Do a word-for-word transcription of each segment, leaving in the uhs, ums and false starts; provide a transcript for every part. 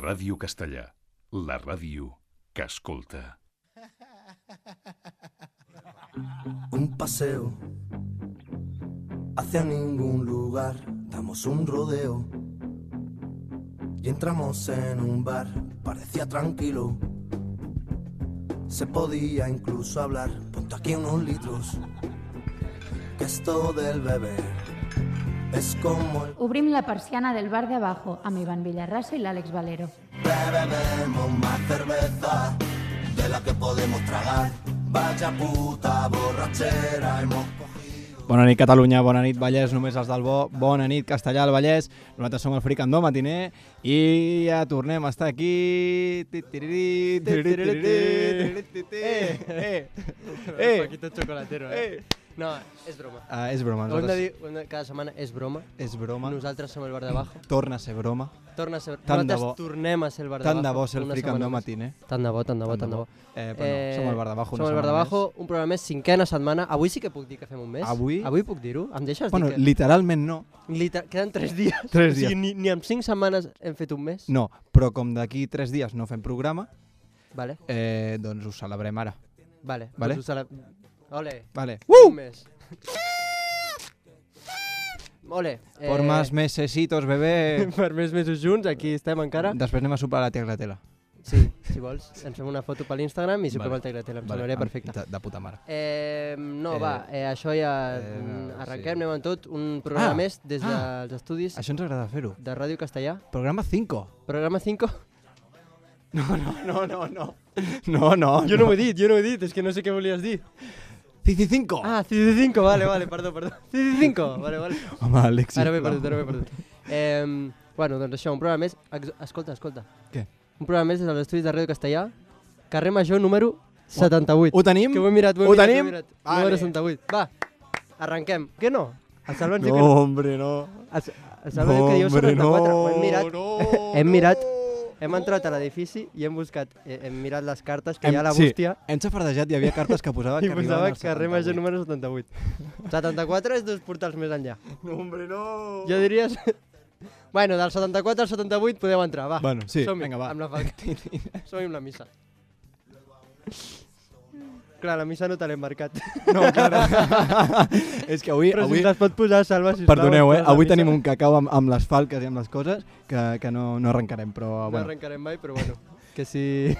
Ràdio Castellà, la ràdio que escolta. Un paseo hacia ningún lugar, damos un rodeo y entramos en un bar, parecía tranquilo, se podía incluso hablar, ponte aquí unos litros, que esto del beber es como el... Obrim la persiana del bar de abajo amb Ivan Villarraso i l'Àlex Valero. Bebemos más cerveza de la que podemos tragar, vaya puta borrachera hemos cogido. Bona nit Catalunya, bona nit Vallès, només els del bo, bona nit Castellà al Vallès, nosaltres som el Fricandó Matiner i ja tornem a estar aquí... Eh, eh, Paquito Chocolatero, eh? No, és broma. Ah, és broma. Ho hem de dir ho hem de, cada setmana, és broma. És broma. Nosaltres som el bar de abajo. Torna a ser broma. Torna a ser... Tant de Nosaltres bo. tornem a ser el bar de Tant abajo. de bo ser el una Fricandó setmana més. Matiner. Tant de bo, tant de bo, tant de bo. Eh, però no, som el bar d'abajo una Som el bar setmana d'abajo, més. un programa més, cinquena setmana. Avui sí que puc dir que fem un mes. Avui? Avui puc dir-ho? Em deixes Bueno, dir que... literalment no. Liter... Queden tres dies. Tres O sigui, dies. ni, ni en cinc setmanes hem fet un mes. No, però com d'aquí tres dies no fem programa, Vale, eh, doncs ho celebrem ara. vale. Vale. Doncs ho cele... Ole. Vale. Un mes. Ole. Por más mesesitos, bebé. Per més mesos junts, aquí estem encara. Després anem a sopar a la Teclatela. Sí, si vols. Ens fem una foto per l'Instagram i sopem Vale. al Teclatela. Em Vale, semblaria am- perfecte. De, de puta mare. Eh, no, Eh, va, eh, això ja eh, mm, arrenquem, sí. anem amb tot. Un programa Ah, més des ah. dels estudis Això ens agrada fer-ho. de Ràdio Castellà. Programa cinco. Programa cinco. No, no, no, no, no. No, no. Jo no ho he dit, jo no ho he dit, és que no sé què volies dir. Cici cinco. Ah, C D cinco, vale, vale, perdó, perdó. C D cinco, vale, vale. Home, Àlex, Ara m'he sisplau. perdut, ara m'he perdut. Eh, bueno, doncs això, un programa més. Ex escolta, escolta. Què? Un programa més des dels estudis de Ràdio Castellà. Carrer Major número setanta-vuit. Ho tenim? Que ho he mirat, ho he Ho mirat, tenim? ho he mirat. Vale. Número setanta-vuit. Va, arrenquem. Què no? El Salva ens diu No, que no. hombre, no. El, el Salva diu que diu setanta-quatre. Ho hem mirat. no, Hem mirat. no. Hem entrat a l'edifici i hem buscat, eh, hem mirat les cartes, que Hem- hi ha a la sí, bústia, Hem xafardejat, hi havia cartes que posava i que posava arribaven al carrer Major setanta-vuit. número setanta-vuit. setanta-quatre és dos portals més enllà. No, hombre, no. Jo diries... Bueno, del setanta-quatre al setanta-vuit podeu entrar, va. Bueno, sí, Som-hi, vinga, va. amb la falca. Som-hi amb la missa. Clar, la missa no te l'he marcat. No, clar. És que avui... Però avui si les pot posar, Salva, sisplau. perdoneu, eh? la Avui missa tenim un cacau amb, amb les falques i amb les coses que, que no, no arrencarem, però... No bueno. arrencarem mai, però bueno. Que si...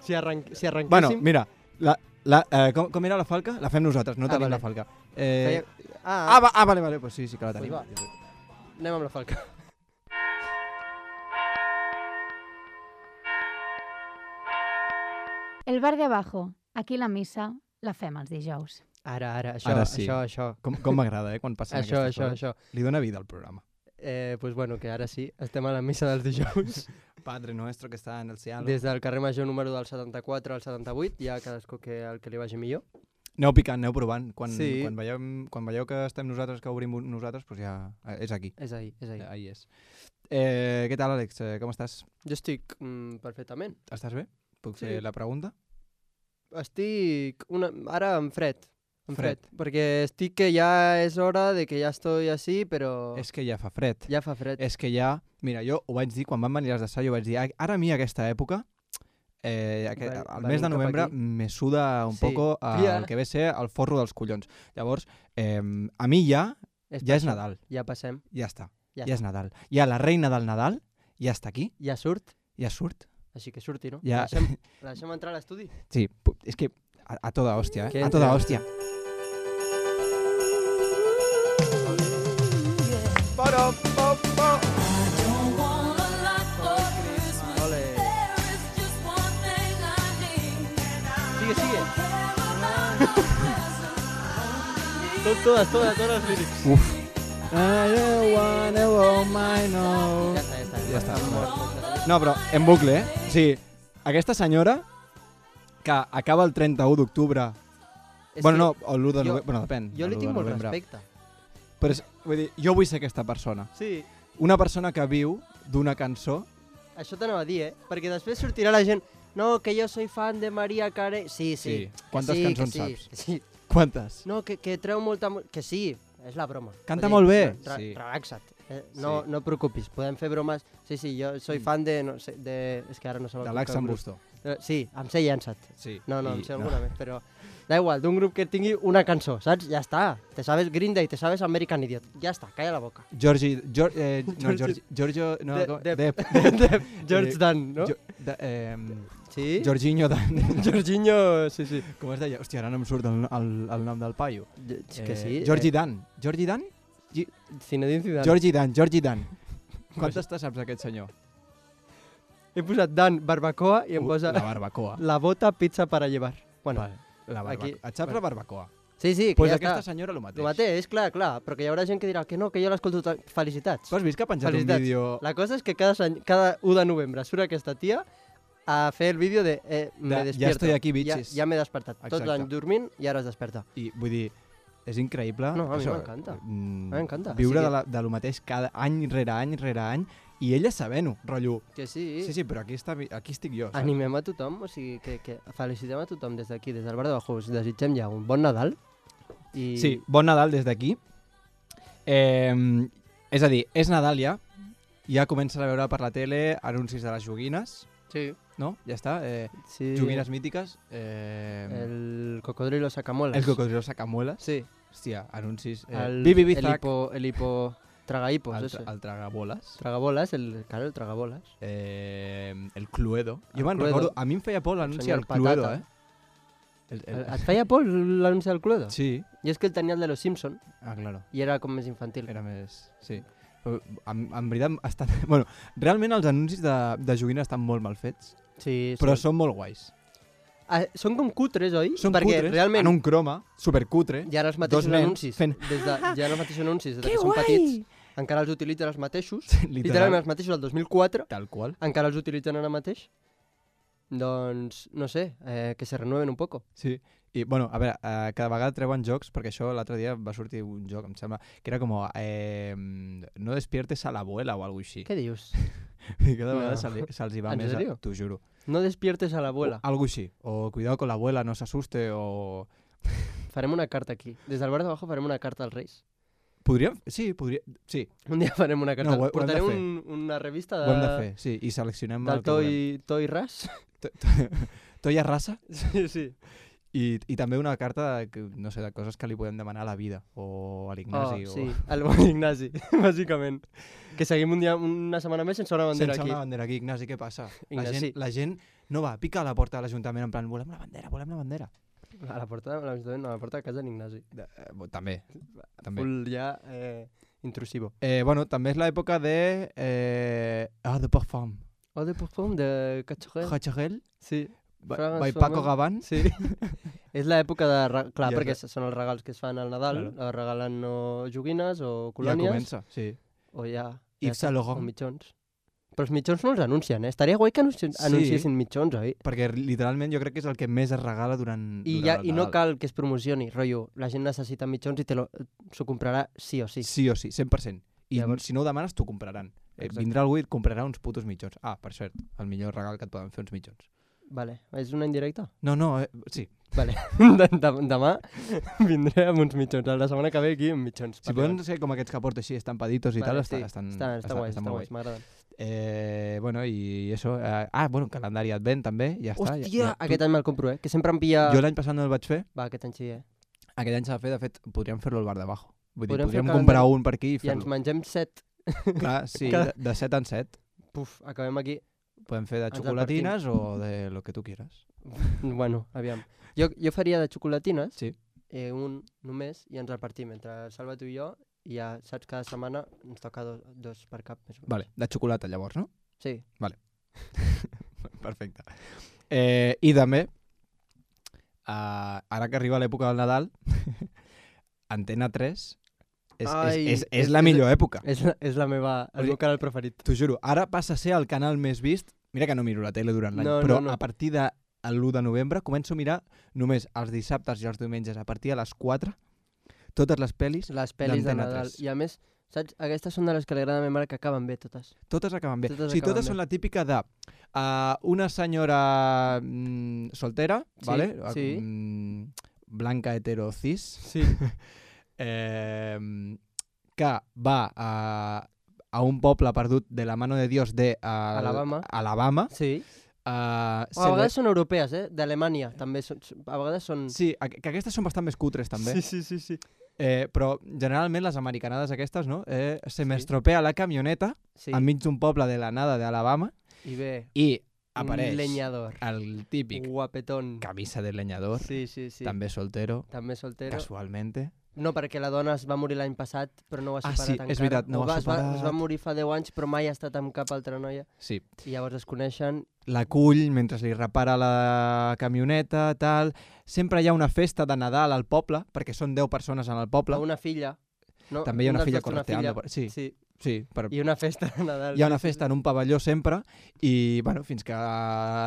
Si, arran... si arrenquéssim... Bueno, mira, la, la, eh, com, com era la falca? La fem nosaltres, no Ah, tenim vale. la falca. Eh, Feia- ah, Ah, va, ah, vale, vale, pues sí, sí que la Pues tenim. va. anem amb la falca. El bar de abajo. Aquí la missa la fem els dijous. Ara, ara, això, Ara sí. això, això. Com, com m'agrada, eh, quan passen Això, aquestes això, coses. això. Li dóna vida al programa. Eh, pues bueno, que ara sí, estem a la missa dels dijous. Padre nuestro que està en el cielo. Des del carrer Major número del setanta-quatre al setanta-vuit, ja cadascú que el que li vagi millor. Aneu picant, aneu provant. Quan, Sí. quan, veieu, quan veieu que estem nosaltres, que obrim nosaltres, doncs ja eh, és aquí. És ahí, és ahí. Eh, Ahí és. Eh, què tal, Àlex? Eh, com estàs? Jo estic mm, perfectament. Estàs bé? Puc Sí. fer la pregunta? Estic una... ara en fred. En fred. Fred. Perquè estic que ja és hora de que ja estoy així, però És que ja fa fred. ja fa fred. És que ja... Mira, jo ho vaig dir, quan van venir les d'assaig, ho vaig dir, "A- ara a mi aquesta època, eh, aquest, Ven- el venim mes de cap novembre, aquí. me suda un Sí. poco a, Ja. el que ve a ser el forro dels collons. Llavors, eh, a mi ja, És ja per és això. Nadal. Ja passem. Ja està. Ja, Ja és Nadal. Ja la reina del Nadal ja està aquí, ja surt, ja surt. així que surti, no? Ja. La, deixem, la deixem entrar a l'estudi? Sí, pu- és que a, a toda hòstia, Que eh? A entre. toda hòstia. Para, pa, pa. Ole. Sigue, sigue. Tot, todas, todas, todas les lírics. Uf. I don't wanna hold my no. Ja està, ja està. Ja està. Mort, mort. No, però en bucle, eh? O sigui, aquesta senyora que acaba el trenta-u d'octubre... És Bueno, que no, o l'u de jo- novembre... Bueno, depèn. Jo li l'u tinc de molt novembre. respecte. Però és, vull dir, jo vull ser aquesta persona. Sí, Una persona que viu d'una cançó... això t'anava a dir, eh? Perquè després sortirà la gent... No, que jo soy fan de Maria Carey. Sí, sí. Sí. que Quantes sí, cançons que sí, saps? que sí. Quantes? No, que, que treu molta... mu- Que sí, és la broma. Canta Vull molt dir, bé. Re Sí. Relaxa't. Eh? No, Sí. no et preocupis, podem fer bromes. Sí, sí, jo soy fan de... No sé, de... És que ara no sé... De l'Ax en Busto. Eh, Sí, em sé llançat. Sí. No, no, I- em sé alguna més, però... Da igual, d'un grup que tingui una cançó, saps? Ja està. Te sabes Green Day, te sabes American Idiot. Ja està, calla la boca. Georgie... Geor, eh, no, Georgie- Georgie... Giorgio... No, De- com- Depp. Depp. Depp. George Eh, Dan, no? Jo, de, eh, Sí? Jorginho Dan. Jorginho, sí, sí. Com es deia? Hòstia, ara no em surt el, el, el nom del paio. És que sí. Georgie eh, Dan. Georgie Dan? Gi- Zinedine Zidane. Georgie Dan, Georgie Dan. Quantes te saps aquest senyor? He posat Dan barbacoa i em Uh, posa La barbacoa. la bota pizza para llevar. Bueno, Vale, la barbacoa. aquí- Et saps bueno. la barbacoa? sí, sí, que Pues ja aquesta està. senyora el mateix. El mateix, clar, clar, però que hi haurà gent que dirà que no, que jo l'escolto tot. Felicitats. Tu has vist que ha penjat un Felicitats. vídeo... La cosa és que cada, any, cada u de novembre surt aquesta tia a fer el vídeo de eh, me De, despierto. ja estoy aquí, Ja, bitches. ja m'he despertat. Tot Exacte. l'any dormint i ara es desperta. I vull dir, és increïble. No, a mi això, m'encanta. mm, A mi m'encanta. Viure O sigui- de, la, de lo mateix cada any rere any rere any i ella sabent-ho, rotllo. Que sí. Sí, sí, però aquí, està, aquí estic jo. Saps? Animem a tothom, o sigui, que, que felicitem a tothom des d'aquí, des del bar de Bajo. Us desitgem ja un bon Nadal. I... Sí, bon Nadal des d'aquí. Eh, és a dir, és Nadal ja. Ja comences a veure per la tele anuncis de les joguines, Sí. no? Ja està. Eh, sí. joguines mítiques. Eh, El cocodrilo sacamuelas. el cocodrilo sacamuelas. Sí. Hòstia, anuncis. Eh, El, Bibi el Bizac. hipo, el hipo tragahipos, El, ese. tra el tragaboles. Tragabolas, el, claro, el tragabolas. Eh, el Cluedo. El Jo me'n Cluedo. recordo, a mi em feia por l'anunci senyor del Cluedo, Patata. eh? El, El, et feia por l'anunci del Cluedo? Sí. I és que el tenia el de los Simpson Ah, claro. i era com més infantil. Era més... Sí. Però, en, en veritat, estan... bueno, realment els anuncis de, de joguines estan molt mal fets, Sí, però són, són molt guais. ah, són com cutres, oi? Són Perquè cutres, realment en un croma, supercutre. hi ha els mateixos dos nens anuncis. fent- Des de, hi ha els mateixos anuncis des de que són petits. Encara els utilitzen els mateixos. Literal, Literalment els mateixos del dos mil quatre. tal qual. Encara els utilitzen ara mateix. Doncs, no sé, eh, que se renueven un poco. Sí. I, bueno, a veure, eh, cada vegada treuen jocs, perquè això l'altre dia va sortir un joc, em sembla, que era com, eh, no despiertes a l'abuela o alguna així. Què dius? I cada vegada No. se se'ls hi va ¿En més, serio? a- t'ho juro. No despiertes a la abuela. O, algo així. O cuidado con la abuela, no s'asuste, o... Farem una carta aquí. Des del bar de Bajo farem una carta als Reis. Podríem... Sí, podria... Sí, Un dia farem una carta. No, ho he- ho hem de Portarem fer. un, una revista de, ho hem de fer, sí. I seleccionem del el que volem. Toy, Toy Ras. Toia Rassa. Sí, sí. I, I també una carta de, que, no sé, de coses que li podem demanar a la vida o a l'Ignasi. Oh, o... sí, el bon Ignasi, bàsicament. Que seguim un dia, una setmana més sense una bandera Sense aquí. una bandera aquí, Ignasi, què passa? La Ignasi. gent, la gent no va, pica a la porta de l'Ajuntament en plan, volem la bandera, volem la bandera. A la porta, a l'Ajuntament, no, a la porta de casa d'Ignasi. De, eh, bo, també, també. Full ja eh, intrusivo. Eh, bueno, també és l'època de... Eh, ah, de Parfum. Oh, de perfum de Cachorel. Hachagel, Sí. by, Fragrance by Paco Woman. Gavan. Sí. És l'època de... re- Clar, I és perquè són els regals que es fan al Nadal. Claro. Claro. Regalen o joguines o Ja colònies. comença, sí. O ja... Yves ja Saint està, Laurent. O mitjons. Però els mitjons no els anuncien, eh? Estaria guai que anunci Sí. anunciessin mitjons, oi? Perquè literalment jo crec que és el que més es regala durant, I, durant ja, el I no Nadal. cal que es promocioni, rotllo. La gent necessita mitjons i te lo- s'ho comprarà sí o sí. Sí o sí, cent per cent. I Llavors- si no ho demanes, t'ho compraran. Eh, Exacte. vindrà algú i et comprarà uns putos mitjons. Ah, per cert, el millor regal que et poden fer uns mitjons. Vale. És una indirecta? No, no, eh, sí. Vale. De, de, demà vindré amb uns mitjons. La setmana que ve aquí amb mitjons. Si poden ser com aquests que porto així, estampaditos i Vale, tal, sí. està, estan, Està, està, guai, està molt guai, guais. m'agraden. Eh, bueno, i això... Eh, ah, bueno, calendari advent també, ja està. Hòstia, ja, ja. aquest any me'l compro, eh? Que sempre em pilla... Jo l'any passat no el vaig fer, Va, aquest any sí, eh? aquest any s'ha de fer, de fet, podríem fer-lo al bar de Bajo. Vull dir, Podríem fer podríem el comprar calendari un per aquí i I ens fer-lo. mengem set. Clar, sí, Cada- de, de set en set. Puf, acabem aquí. Podem fer de Ens el xocolatines o de lo que tu quieras. Bueno, aviam. Jo, jo faria de xocolatines, Sí. eh, un només, i ens el partim entre Salva, tu i jo, i ja, saps, cada setmana ens toca dos, dos per cap. Més o menys. Vale, de xocolata llavors, no? Sí. Perfecte. Eh, I també, uh, ara que arriba l'època del Nadal, Antena tres és, Ai, és, és, és és- la és- millor època. És la, és la meva, O el sigui, meu canal preferit. T'ho juro, ara passa a ser el canal més vist. Mira que no miro la tele durant l'any, No, però no, no. a partir de l'u de novembre començo a mirar només els dissabtes i els diumenges a partir de les quatre totes les pel·lis, Les pel·lis de d'Antena Nadal. tres. I a més, saps, aquestes són de les que li agrada a ma mare que acaben bé totes. totes acaben bé. Totes o sigui, acaben totes bé. són la típica de uh, una senyora mm, soltera, Sí, ¿vale? sí. Mm, blanca, hetero, cis, Sí. eh, que va a, a un poble perdut de la mano de Dios de uh, Alabama. Alabama. Sí. Uh, O a vegades són europees, eh? D'Alemanya, també. Són, a vegades són... Sí, que aquestes són bastant més cutres, també. Sí, sí, sí. sí. Eh, però generalment les americanades aquestes, no? Eh, se m'estropea la camioneta sí. enmig d'un poble de la nada d'Alabama i ve i apareix un leñador. El típic guapetón. Camisa de leñador, sí, sí, sí. també soltero, també soltero. casualmente. No, perquè la dona es va morir l'any passat, però no ho ha Ah, superat sí, encara. és veritat, no ho ha es va, superat. es va morir fa deu anys, però mai ha estat amb cap altra noia. Sí. I llavors es coneixen. La cull mentre li repara la camioneta, tal. Sempre hi ha una festa de Nadal al poble, perquè són deu persones en el poble. Una filla. No? També hi ha una Un dels filla dos té una correteando. filla. Sí, sí. sí. Per... I una festa de Nadal. Hi ha una festa en un pavelló sempre i, bueno, fins que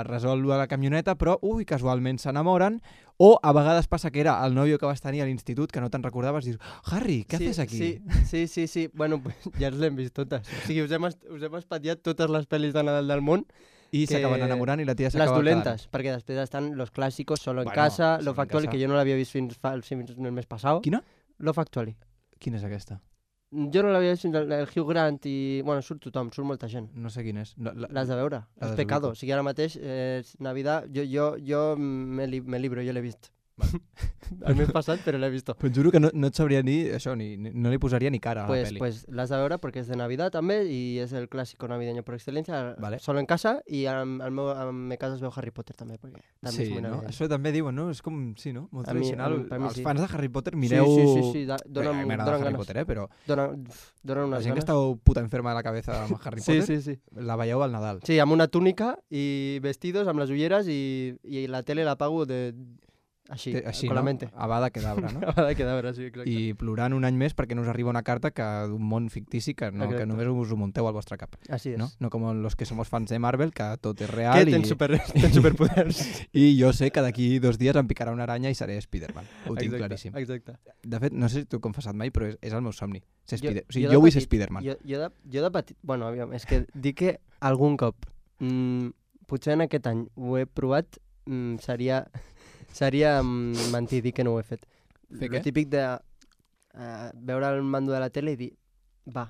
resol la camioneta, però, ui, casualment s'enamoren. O a vegades passa que era el nòvio que vas tenir a l'institut, que no te'n recordaves, dius, Harry, què sí, haces aquí? Sí, sí, sí, sí. Bueno, pues ja ens l'hem vist totes. O sigui, us hem, us hem espatllat totes les pel·lis de Nadal del món. I que... s'acaben enamorant i la tia Les s'acaba dolentes, quedant. Perquè després estan Los Clásicos, Solo en bueno, Casa, Solo Love en Actually, casa. que jo no l'havia vist fins, fa, fins el mes passat. Quina? Love Actually. Quina és aquesta? Jo no l'havia vist fins el, el Hugh Grant i... Bueno, surt tothom, surt molta gent. No sé quin és. La, la... L'has de veure. La És pecado. O sigui, ara mateix, eh, Navidad, jo, jo, jo me, li, me libro, jo l'he vist. Vale. El mes passat, però l'he vist. Però et juro que no, no et sabria dir això, ni, ni, no li posaria ni cara a pues, la pel·li. Pues l'has de veure perquè és de Navidad també i és el clàssico navideño per excel·lència. Vale. Solo en casa i en, en, meu, en me casa es veu Harry Potter també, perquè també Sí, és molt no? navideño. Això també diuen, no? És com, sí, no? Molt A mi- tradicional. a mi- per mi Els sí. fans de Harry Potter, mireu... Sí, sí, sí, sí. Da, Bé, donen, a mi m'agrada donen Harry ganes. Potter, eh? Però Donen, donen la unes gent que ganes. esteu puta enferma de la cabeza amb Harry Sí, Potter, sí, sí. la veieu al Nadal. Sí, amb una túnica i vestidos, amb les ulleres i, i la tele la pago de... Així, Té- Així, con no? la mente. Avada Kedavra, no? Ha de quedar, sí, exacte. I plorant un any més perquè no us arriba una carta que d'un món fictici que, no, Exacte. que només us ho munteu al vostre cap. Així és. No? No com los que somos fans de Marvel, que tot és real. Que i... tens, super, tens superpoders. I jo sé que d'aquí dos dies em picarà una aranya i seré Spider-Man. Ho tinc Exacte, claríssim. Exacte. De fet, no sé si t'ho he confessat mai, però és, és el meu somni. Ser Jo- Spider... o sigui, jo de jo vull ser petit- Spider-Man. Jo, jo, de, jo de petit... Bueno, aviam, és que dic que algun cop, mm, potser en aquest any ho he provat, mm, seria, seria mm, mentir, dir que no ho he fet. Fer Lo què? típic de uh, veure el mando de la tele i dir, va,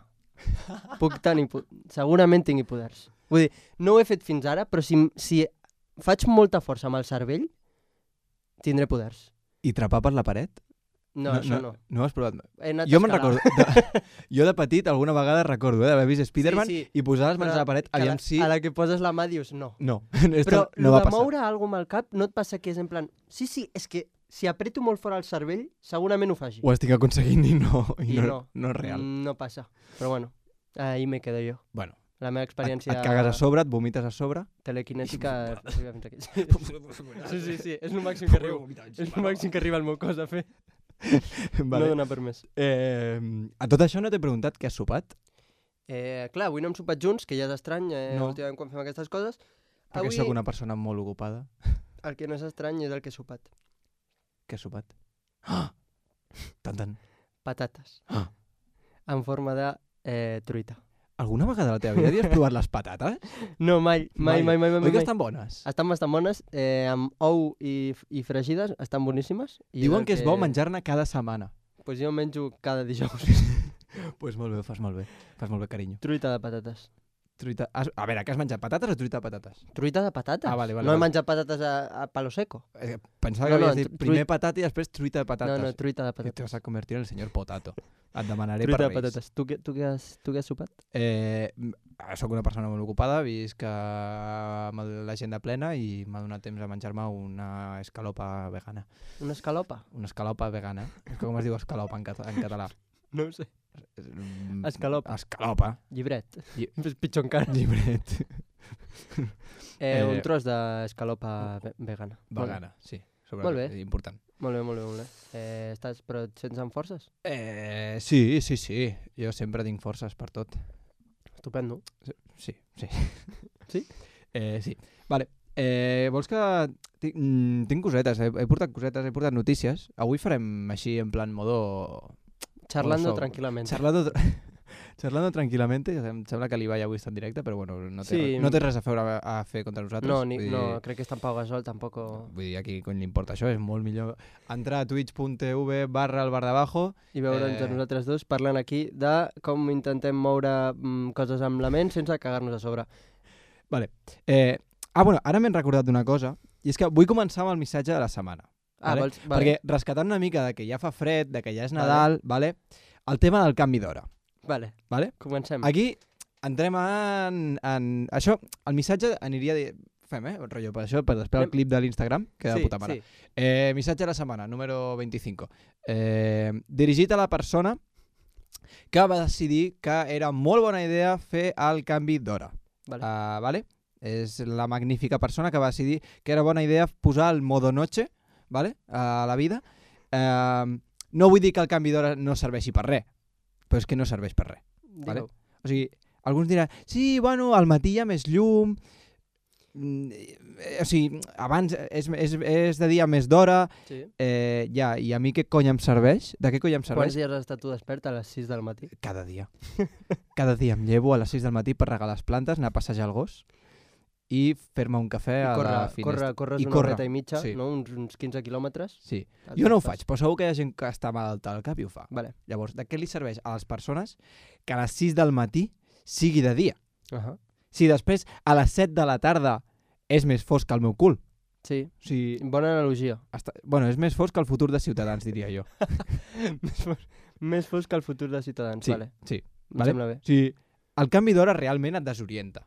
puc tenir... po- Segurament tingui poders. Vull dir, no ho he fet fins ara, però si, si faig molta força amb el cervell, tindré poders. I trepar per la paret? No, no això no. No, no ho has provat? He anat Jo a me'n escalar. recordo... De, jo de petit alguna vegada recordo eh, d'haver vist Spider-Man Sí, sí. i posar les mans Però a la paret, que aviam la, si... A la que poses la mà dius no. No, Però esto no lo va de passar. moure alguna amb el cap no et passa que és en plan... Sí, sí, és que si apreto molt fort el cervell, segurament ho faci. Ho estic aconseguint i no, i I no, no. no és real. Mm, No passa. Però bueno, ahí me quedo jo. Bueno, La meva et, experiència et cagues a sobre, et vomites a sobre... telequinètica arriba fins aquí. Sí, sí, sí, és el màxim que arribo. És el màxim que arriba al meu cos a fer. No Vale. dona per més. Eh, a tot això no t'he preguntat què has sopat? Eh, clar, avui no hem sopat junts, que ja és estrany, eh, No. últimament quan fem aquestes coses. Perquè Avui sóc una persona molt ocupada. el que no és estrany és el que he sopat. Què has sopat? Ah! Tant, tant. Patates. Ah. En forma de eh, truita. Alguna vegada a la teva vida havies provat les patates? No, mai, mai, mai, mai, mai. Oi que mai. estan bones? Estan bastant bones, eh, amb ou i, i fregides, estan boníssimes. I Diuen el que és bo menjar-ne cada setmana. Pues jo menjo cada dijous. Doncs pues molt bé, ho fas molt bé. Fas molt bé, carinyo. Truita de patates. Truita... Has... A veure, que has menjat patates o truita de patates? Truita de patates? Ah, vale, vale, no he vale. menjat patates a, a palo seco. Eh, pensava No, que no, havies dit tru- primer patata i després truita de patates. No, no, truita de Que te patates. vas a convertir en el senyor Potato. Et demanaré Truita per de Reis. patates. Tu, què- tu, què has, tu què has sopat? Eh, soc una persona molt ocupada, visc eh, amb l'agenda plena i m'ha donat temps a menjar-me una escalopa vegana. Una escalopa? Una escalopa vegana. Com es diu escalopa en, cat en català? No ho sé. Mm, Escalopa. Escalopa. Llibret. Lli- És pitjor encara. Llibret. Eh, Eh, un tros d'escalopa ve vegana. Vegana, sí. Sobre Molt bé. Important. Molt bé, molt bé, molt bé. Eh, estàs, però et sents amb forces? Eh, sí, sí, sí. Jo sempre tinc forces per tot. Estupendo. Sí, sí. Sí? Eh, sí. Vale. Eh, vols que... Tinc, mm, tinc cosetes, he, he portat cosetes, he portat notícies. Avui farem així en plan modo... Charlando modo so- tranquil·lament. Charlando, tra- Charlando tranquil·lament, em sembla que l'Ibai avui està en directe, però bueno, no té, Sí. no té res a fer, a fer contra nosaltres. No, ni, vull dir, no, crec que està en Pau Gasol, tampoc... Vull dir, aquí cony li importa això, és molt millor entrar a twitch.tv barra el bar d'abajo. I veure'ns Eh. a nosaltres dos parlant aquí de com intentem moure mm, coses amb la ment sense cagar-nos a sobre. Vale. Eh, ah, bueno, ara m'he recordat d'una cosa, i és que vull començar amb el missatge de la setmana. Ah, Vale? vols... Vale. Perquè rescatant una mica de que ja fa fred, de que ja és Nadal, vale? El tema del canvi d'hora. Vale, Vale? comencem. Aquí entrem en, en... Això, el missatge aniria... De... Fem, eh? Rotllo, per això, per després el Anem- clip de l'Instagram, que de sí, puta mare. sí. Eh, missatge de la setmana, número vint-i-cinc. Eh, dirigit a la persona que va decidir que era molt bona idea fer el canvi d'hora. Vale. Uh, vale? És la magnífica persona que va decidir que era bona idea posar el modo noche, vale? A la vida. Uh, no vull dir que el canvi d'hora no serveixi per res, però és que no serveix per res. Vale? Digue-ho. O sigui, alguns diran, sí, bueno, al matí hi ha més llum, mm, eh, o sigui, abans és, és, és de dia més d'hora, Sí. eh, ja, i a mi què cony em serveix? De què cony em Quants serveix? dies has estat tu despert a les sis del matí? Cada dia. Cada dia em llevo a les sis del matí per regar les plantes, anar a passejar el gos i fer-me un cafè I a corre, la finestra. corre, corres I una corre, horeta i mitja, sí. no? uns, uns quinze quilòmetres. Sí. Tal, Jo no ho estàs. faig, però segur que hi ha gent que està malalta al cap i ho fa. Vale. Llavors, de què li serveix a les persones que a les sis del matí sigui de dia? Uh -huh. Si després a les set de la tarda és més fosc que el meu cul. Sí, O sigui, bona analogia. està... bueno, és més fosc que el futur de Ciutadans, diria jo. més, fos, més fosc que el futur de Ciutadans, Sí, vale. sí. Em Vale? sembla bé. O sigui, el canvi d'hora realment et desorienta.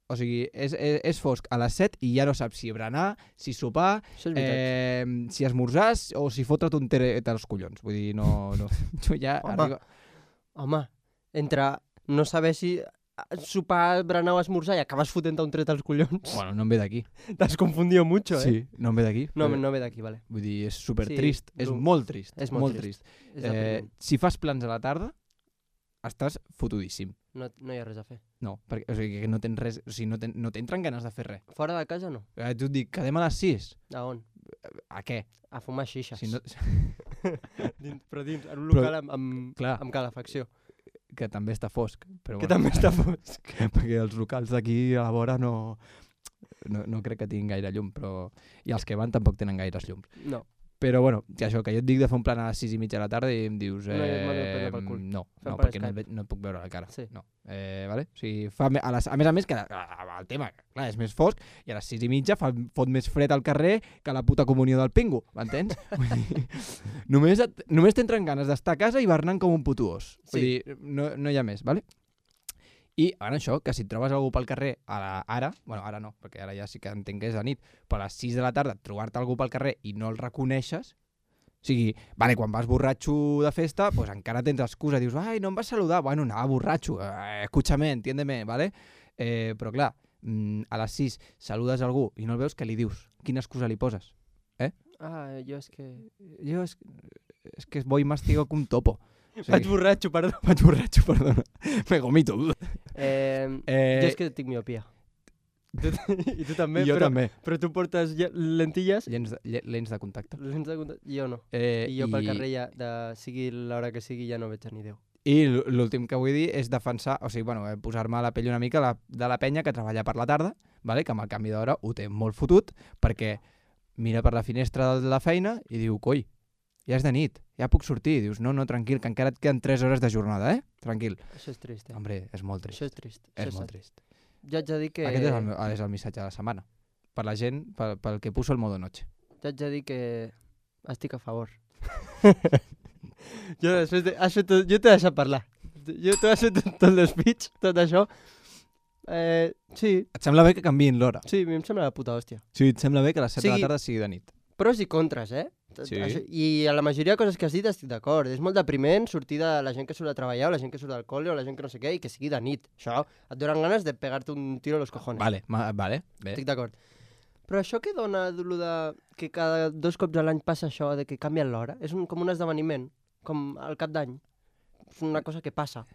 O sigui, és, és, és fosc a les set i ja no saps si berenar, si sopar, Això és veritat. eh, si esmorzars o si fotre't un teret als collons. Vull dir, no... no. Jo ja Home. arriba... Home, entre no saber si sopar, berenar o esmorzar i acabes fotent un tret als collons. Bueno, no em ve d'aquí. T'has confundido mucho, eh? Sí, no em ve d'aquí. No, però- no ve d'aquí, vale. Vull dir, és super Sí, trist. És dur. molt trist. És molt trist. És Eh, depriment. si fas plans a la tarda, estàs fotudíssim. No, no hi ha res a fer. No, perquè o sigui, que no tens res, o sigui, no, ten, no t'entren ganes de fer res. Fora de casa no. Eh, tu et dic, quedem a les sis. A on? A què? A fumar xixes. Si no, dins, però dins, en un Però- local amb, amb, clar. amb calefacció. que també està fosc. Però Que bueno, també està fosc. perquè els locals d'aquí a la vora no, no, no crec que tinguin gaire llum, però i els que van tampoc tenen gaires llums. No. Però bueno, que això, que jo et dic de fer un plan a les sis i mitja de la tarda i em dius, No, jo eh, et mando a prendre pel cul. no, Fem no, per perquè no, et Skype. ve- no et puc veure la cara. Sí. No. Eh, vale? O sigui, fa, me- a, les, a més a més que a- a- el tema, clar, és més fosc i a les sis i mitja fa, fot més fred al carrer que la puta comunió del pingo, m'entens? Vull dir, només, et, només t'entren ganes d'estar a casa i hivernant com un puto os. Vull Sí. dir, no, no hi ha més, vale? I ara això, que si et trobes algú pel carrer a la, ara, bueno, ara no, perquè ara ja sí que entenc que és de nit, però a les sis de la tarda trobar-te algú pel carrer i no el reconeixes, o sigui, vale, quan vas borratxo de festa, pues encara tens excusa, dius, ai, no em vas saludar, bueno, anava borratxo, eh, escúchame, entiéndeme, vale? Eh, però clar, mm, a les sis saludes algú i no el veus, què li dius? Quina excusa li poses? Ah, jo és que... Jo és, és que voy mastigo com un topo. O sigui, Vaig borratxo, perdó. vaig borratxo, perdona. Me gomito. Eh, Eh, jo és que tinc miopia. Tu, I tu també, I jo però, també. però tu portes lle- lentilles, Lents de, lle- lents de contacte. lents de contacte, jo no. Eh, I jo pel carrer ja, de, sigui l'hora que sigui, ja no veig a ni Déu. I l- l'últim que vull dir és defensar, o sigui, bueno, eh, posar-me a la pell una mica la, de la penya que treballa per la tarda, vale? Que amb el canvi d'hora ho té molt fotut, perquè mira per la finestra de la feina i diu, coi, ja és de nit, ja puc sortir. I dius, no, no, tranquil, que encara et queden tres hores de jornada, eh? Tranquil. Això és trist, eh? Hombre, és molt trist. Això és trist. És Això molt sad. trist. Jo haig de dir que... Aquest és el, meu- és el missatge de la setmana. Per la gent, pel, pel que puso el modo noche. Jo haig de dir que estic a favor. jo després de... Has fet tot... Jo t'he deixat parlar. Jo t'he fet tot, tot el speech, tot això. Eh, sí, Et sembla bé que canviïn l'hora? sí, a mi em sembla la puta hòstia. Sí, et sembla bé que a les set de Sigui- la tarda sigui de nit? Pros i contres, eh? Tot Sí. Això, I a la majoria de coses que has dit estic d'acord. És molt depriment sortir de la gent que surt a treballar o la gent que surt al col·le o la gent que no sé què i que sigui de nit. Això et donen ganes de pegar-te un tiro a los cojones. Vale, ma, vale, bé. Estic d'acord. Però això que dona lo de que cada dos cops a l'any passa això de que canvien l'hora, és un, com un esdeveniment, com al cap d'any. És una cosa que passa,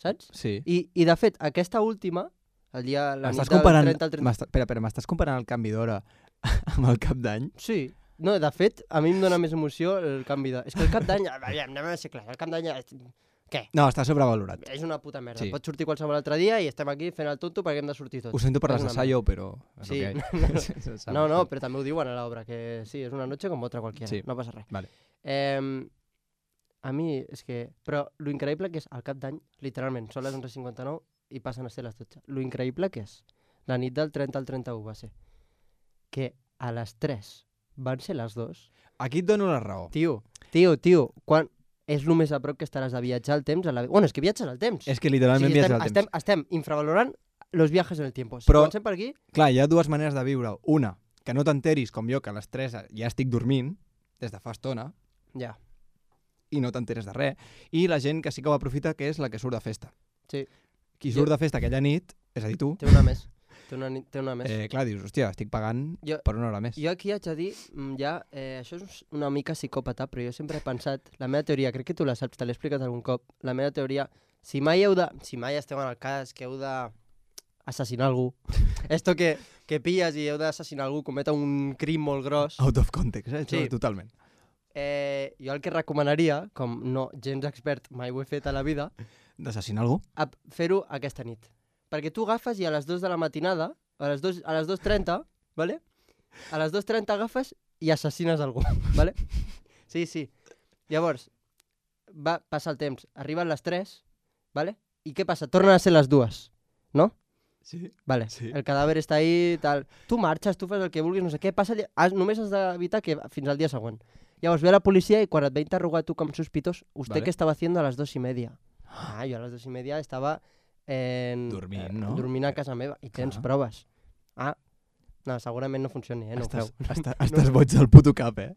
saps? Sí. I, i de fet, aquesta última, el dia, la nit M'estàs del comparant, trenta al trenta... m'està- espera, espera, m'estàs comparant el canvi d'hora amb el cap d'any? Sí. No, de fet, a mi em dona més emoció el canvi de... És que el cap d'any, aviam, anem a ser clars, el cap d'any... Què? No, està sobrevalorat. És una puta merda. Sí. Pots sortir qualsevol altre dia i estem aquí fent el tonto perquè hem de sortir tots. Ho sento per És les una d'assayo, però... és Sí, el que no, hay. no, no, no, però també ho diuen a l'obra, que sí, és una noche com otra qualquiera, Sí. no passa res. Vale. Eh, a mi és que... Però lo increïble que és al cap d'any, literalment, són les onze cinquanta-nou i passen a ser les dotze. Lo increïble que és, la nit del trenta al trenta-u va ser, que a les tres van ser les dos. Aquí et dono la raó. Tio, tio, tio, quan... És el més a prop que estaràs de viatjar al temps. A la... Bueno, és que viatges al temps. És que literalment o sigui, viatges estem, al estem, temps. estem infravalorant los viajes en el tiempo. Si Però- comencem per aquí... Clar, hi ha dues maneres de viure. Una, que no t'enteris com jo, que a les tres ja estic dormint, des de fa estona, Ja. i no t'enteres de res. I la gent que sí que ho aprofita, que és la que surt de festa. Sí. Qui Jo- surt de festa aquella nit, és a dir, tu, Té una més. Té una, ni- té una més. eh, clar, dius, hòstia, estic pagant Jo- per una hora més. Jo aquí haig de dir, mm, ja, eh, això és una mica psicòpata, però jo sempre he pensat, la meva teoria, crec que tu la saps, te l'he explicat algun cop, la meva teoria, si mai heu de, si mai esteu en el cas que heu de assassinar algú, esto que, que pilles i heu d'assassinar algú, cometa un crim molt gros, Out of context, eh? Sí. Sí. Totalment. eh, jo el que recomanaria, com no gens expert, mai ho he fet a la vida, D'assassinar algú? a fer-ho aquesta nit. Perquè tu agafes i a les dues de la matinada, a les dos, a les dos trenta, ¿vale? A les dos trenta agafes i assassines algú, ¿vale? Sí, sí. Llavors, va passar el temps, arriben les tres, ¿vale? I què passa? Tornen a ser les dues, no? Sí. Vale, Sí. el cadàver està ahí, tal. Tu marxes, tu fas el que vulguis, no sé què, passa, allà- has, només has d'evitar que fins al dia següent. Llavors ve la policia i quan et ve interrogar tu com sospitós, ¿usted Vale. qué estaba haciendo a las dos y media? Ah, jo a les dos i media estava en... Dormint, eh, no? Dormint a casa meva. I tens Clar. proves. Ah, no, segurament no funcioni, eh? No ho estàs, creu. estàs, estàs boig del puto cap, eh?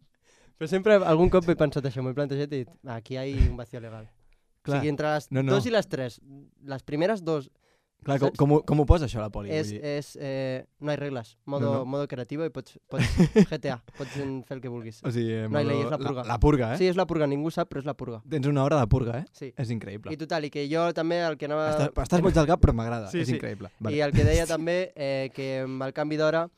Però sempre algun cop he pensat això, m'he plantejat i he dit, "Ah, aquí hi ha un vacío legal. Clar. O sigui, entre les No, no. dos i les tres, les primeres dos Clar, com, Saps? com, ho- com ho posa això a la poli? és, Vull dir, és eh, no hi regles, modo, No, no. modo creativo i pots, pots G T A, pots fer el que vulguis. o sigui, eh, no hi modo- lei, és la purga. La, la purga, eh? Sí, és la purga, ningú sap, però és la purga. Tens una hora de purga, eh? Sí. És increïble. I total, i que jo també el que anava... Estàs, estàs boig del cap, però m'agrada. Sí, és sí. increïble. I el que deia també, eh, que amb el canvi d'hora,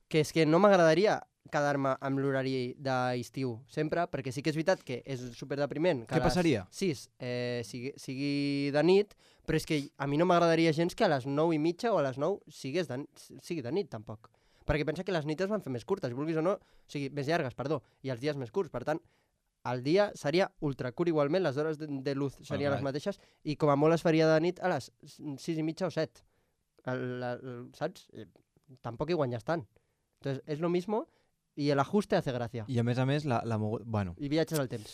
que és que no m'agradaria quedar-me amb l'horari d'estiu sempre, perquè sí que és veritat que és superdepriment. Que Què a les passaria? sis eh, sigui, sigui de nit, però és que a mi no m'agradaria gens que a les nou i mitja o a les nou sigués de, sigui de nit, tampoc. Perquè pensa que les nits es van fer més curtes, vulguis o no, o sigui, més llargues, perdó, i els dies més curts. Per tant, el dia seria ultracurt igualment, les hores de, de luz serien Alright. les mateixes, i com a molt es faria de nit a les sis i mitja o set. El, el, el, saps? Eh, tampoc hi guanyes tant. Entonces, és lo mismo i el ajuste hace gracia. I a més a més, la, la mogu... bueno, I viatges al temps.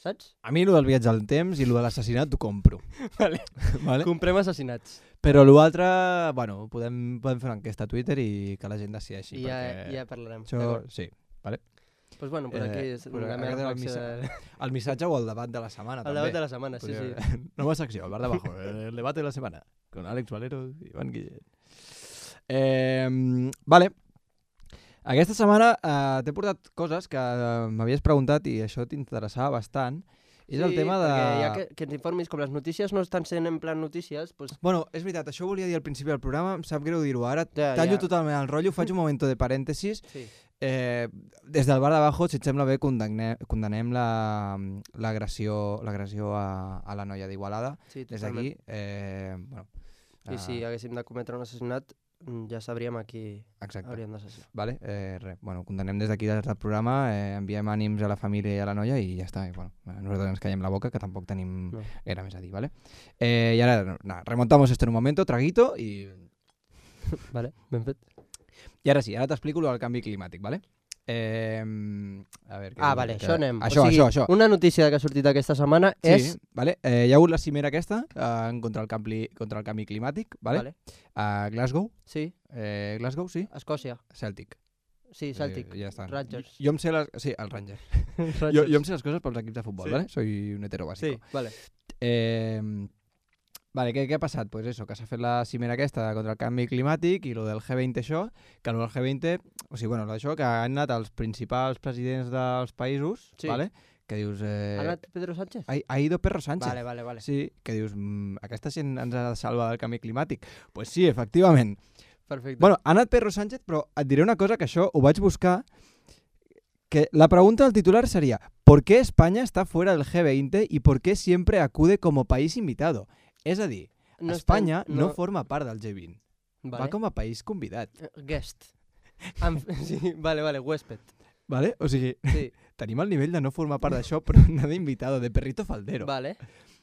Saps? a mi el del viatge al temps i el de l'assassinat t'ho compro. Vale. Vale? Comprem assassinats. Però l'altre, bueno, podem, podem fer una enquesta a Twitter i que la gent decideixi. I ja, perquè ja parlarem. Això, D'acord. sí, vale? Pues bueno, per Eh, aquí és però la meva aquest era el reflexió. missatge. de- El missatge o el debat de la setmana, El també. debat de la setmana, sí, sí. Podria- Nova secció, el bar de abajo, el debate de la semana, con Àlex Valero i Ivan Guillén. Eh, vale. Aquesta setmana eh, t'he portat coses que eh, m'havies preguntat i això t'interessava bastant. És el Sí, tema de... perquè ja que, que ens informis, com les notícies no estan sent en plan notícies, pues, Bueno, és veritat, això ho volia dir al principi del programa, em sap greu dir-ho ara. Ja, Tallo ja. totalment el rotllo, faig un moment de parèntesis. sí. Eh, des del bar d'abajo, si et sembla bé, condemnem, condemnem la- l'agressió l'agressió a, a la noia d'Igualada. sí Des totalment. d'aquí, eh, bueno... I si haguéssim de cometre un assassinat, mm, ja sabríem a qui Exacte. hauríem d'assassinar. Vale, eh, res, bueno, condemnem des d'aquí des del programa, eh, enviem ànims a la família i a la noia i ja està. I, bueno, nosaltres ens callem la boca, que tampoc tenim No. gaire més a dir, vale? Eh, y ahora, nada, remontamos esto en un momento, traguito, y, Vale, ben fet. y ahora sí, ara t'explico lo del canvi climàtic, vale? Eh, a ver, Ah, vale, això anem. Això, o sigui, això, això. Una notícia que ha sortit aquesta setmana Sí, és... vale? Eh, hi ha hagut la cimera aquesta eh, en contra el canvi, contra el canvi climàtic, vale? Vale. A Glasgow, Sí, eh, Glasgow, sí, Escòcia. Celtic. Sí, Celtic. Eh, ja està. Rangers. Jo em sé les... Sí, el Ranger. Jo, Rangers. jo em sé les coses pels equips de futbol, Sí. ¿vale? Soy un hetero bàsico. Sí, vale. Eh, vale, què, què ha passat? Pues eso, que s'ha fet la cimera aquesta contra el canvi climàtic i lo del G veinte això, que lo del G veinte, o sigui, bueno, lo d'això, que han anat els principals presidents dels països, Sí. vale? Que dius... Eh, Ha anat Pedro Sánchez? ha, ha ido Perro Sánchez. Vale, vale, vale. Sí, que dius, mm, aquesta gent ens ha de salvar del canvi climàtic. Pues sí, efectivament. Perfecte. Bueno, ha anat Pedro Sánchez, però et diré una cosa, que això ho vaig buscar, que la pregunta del titular sería ¿por qué España está fuera del G veinte y por qué siempre acude como país invitado? És a dir, No Espanya estan- no... no- forma part del G vint. Vale. Va com a país convidat. Eh, Guest. Am- sí, vale, vale, huésped. Vale? O sigui, Sí, tenim el nivell de no formar part d'això, però anar d'invitado, de perrito faldero. vale.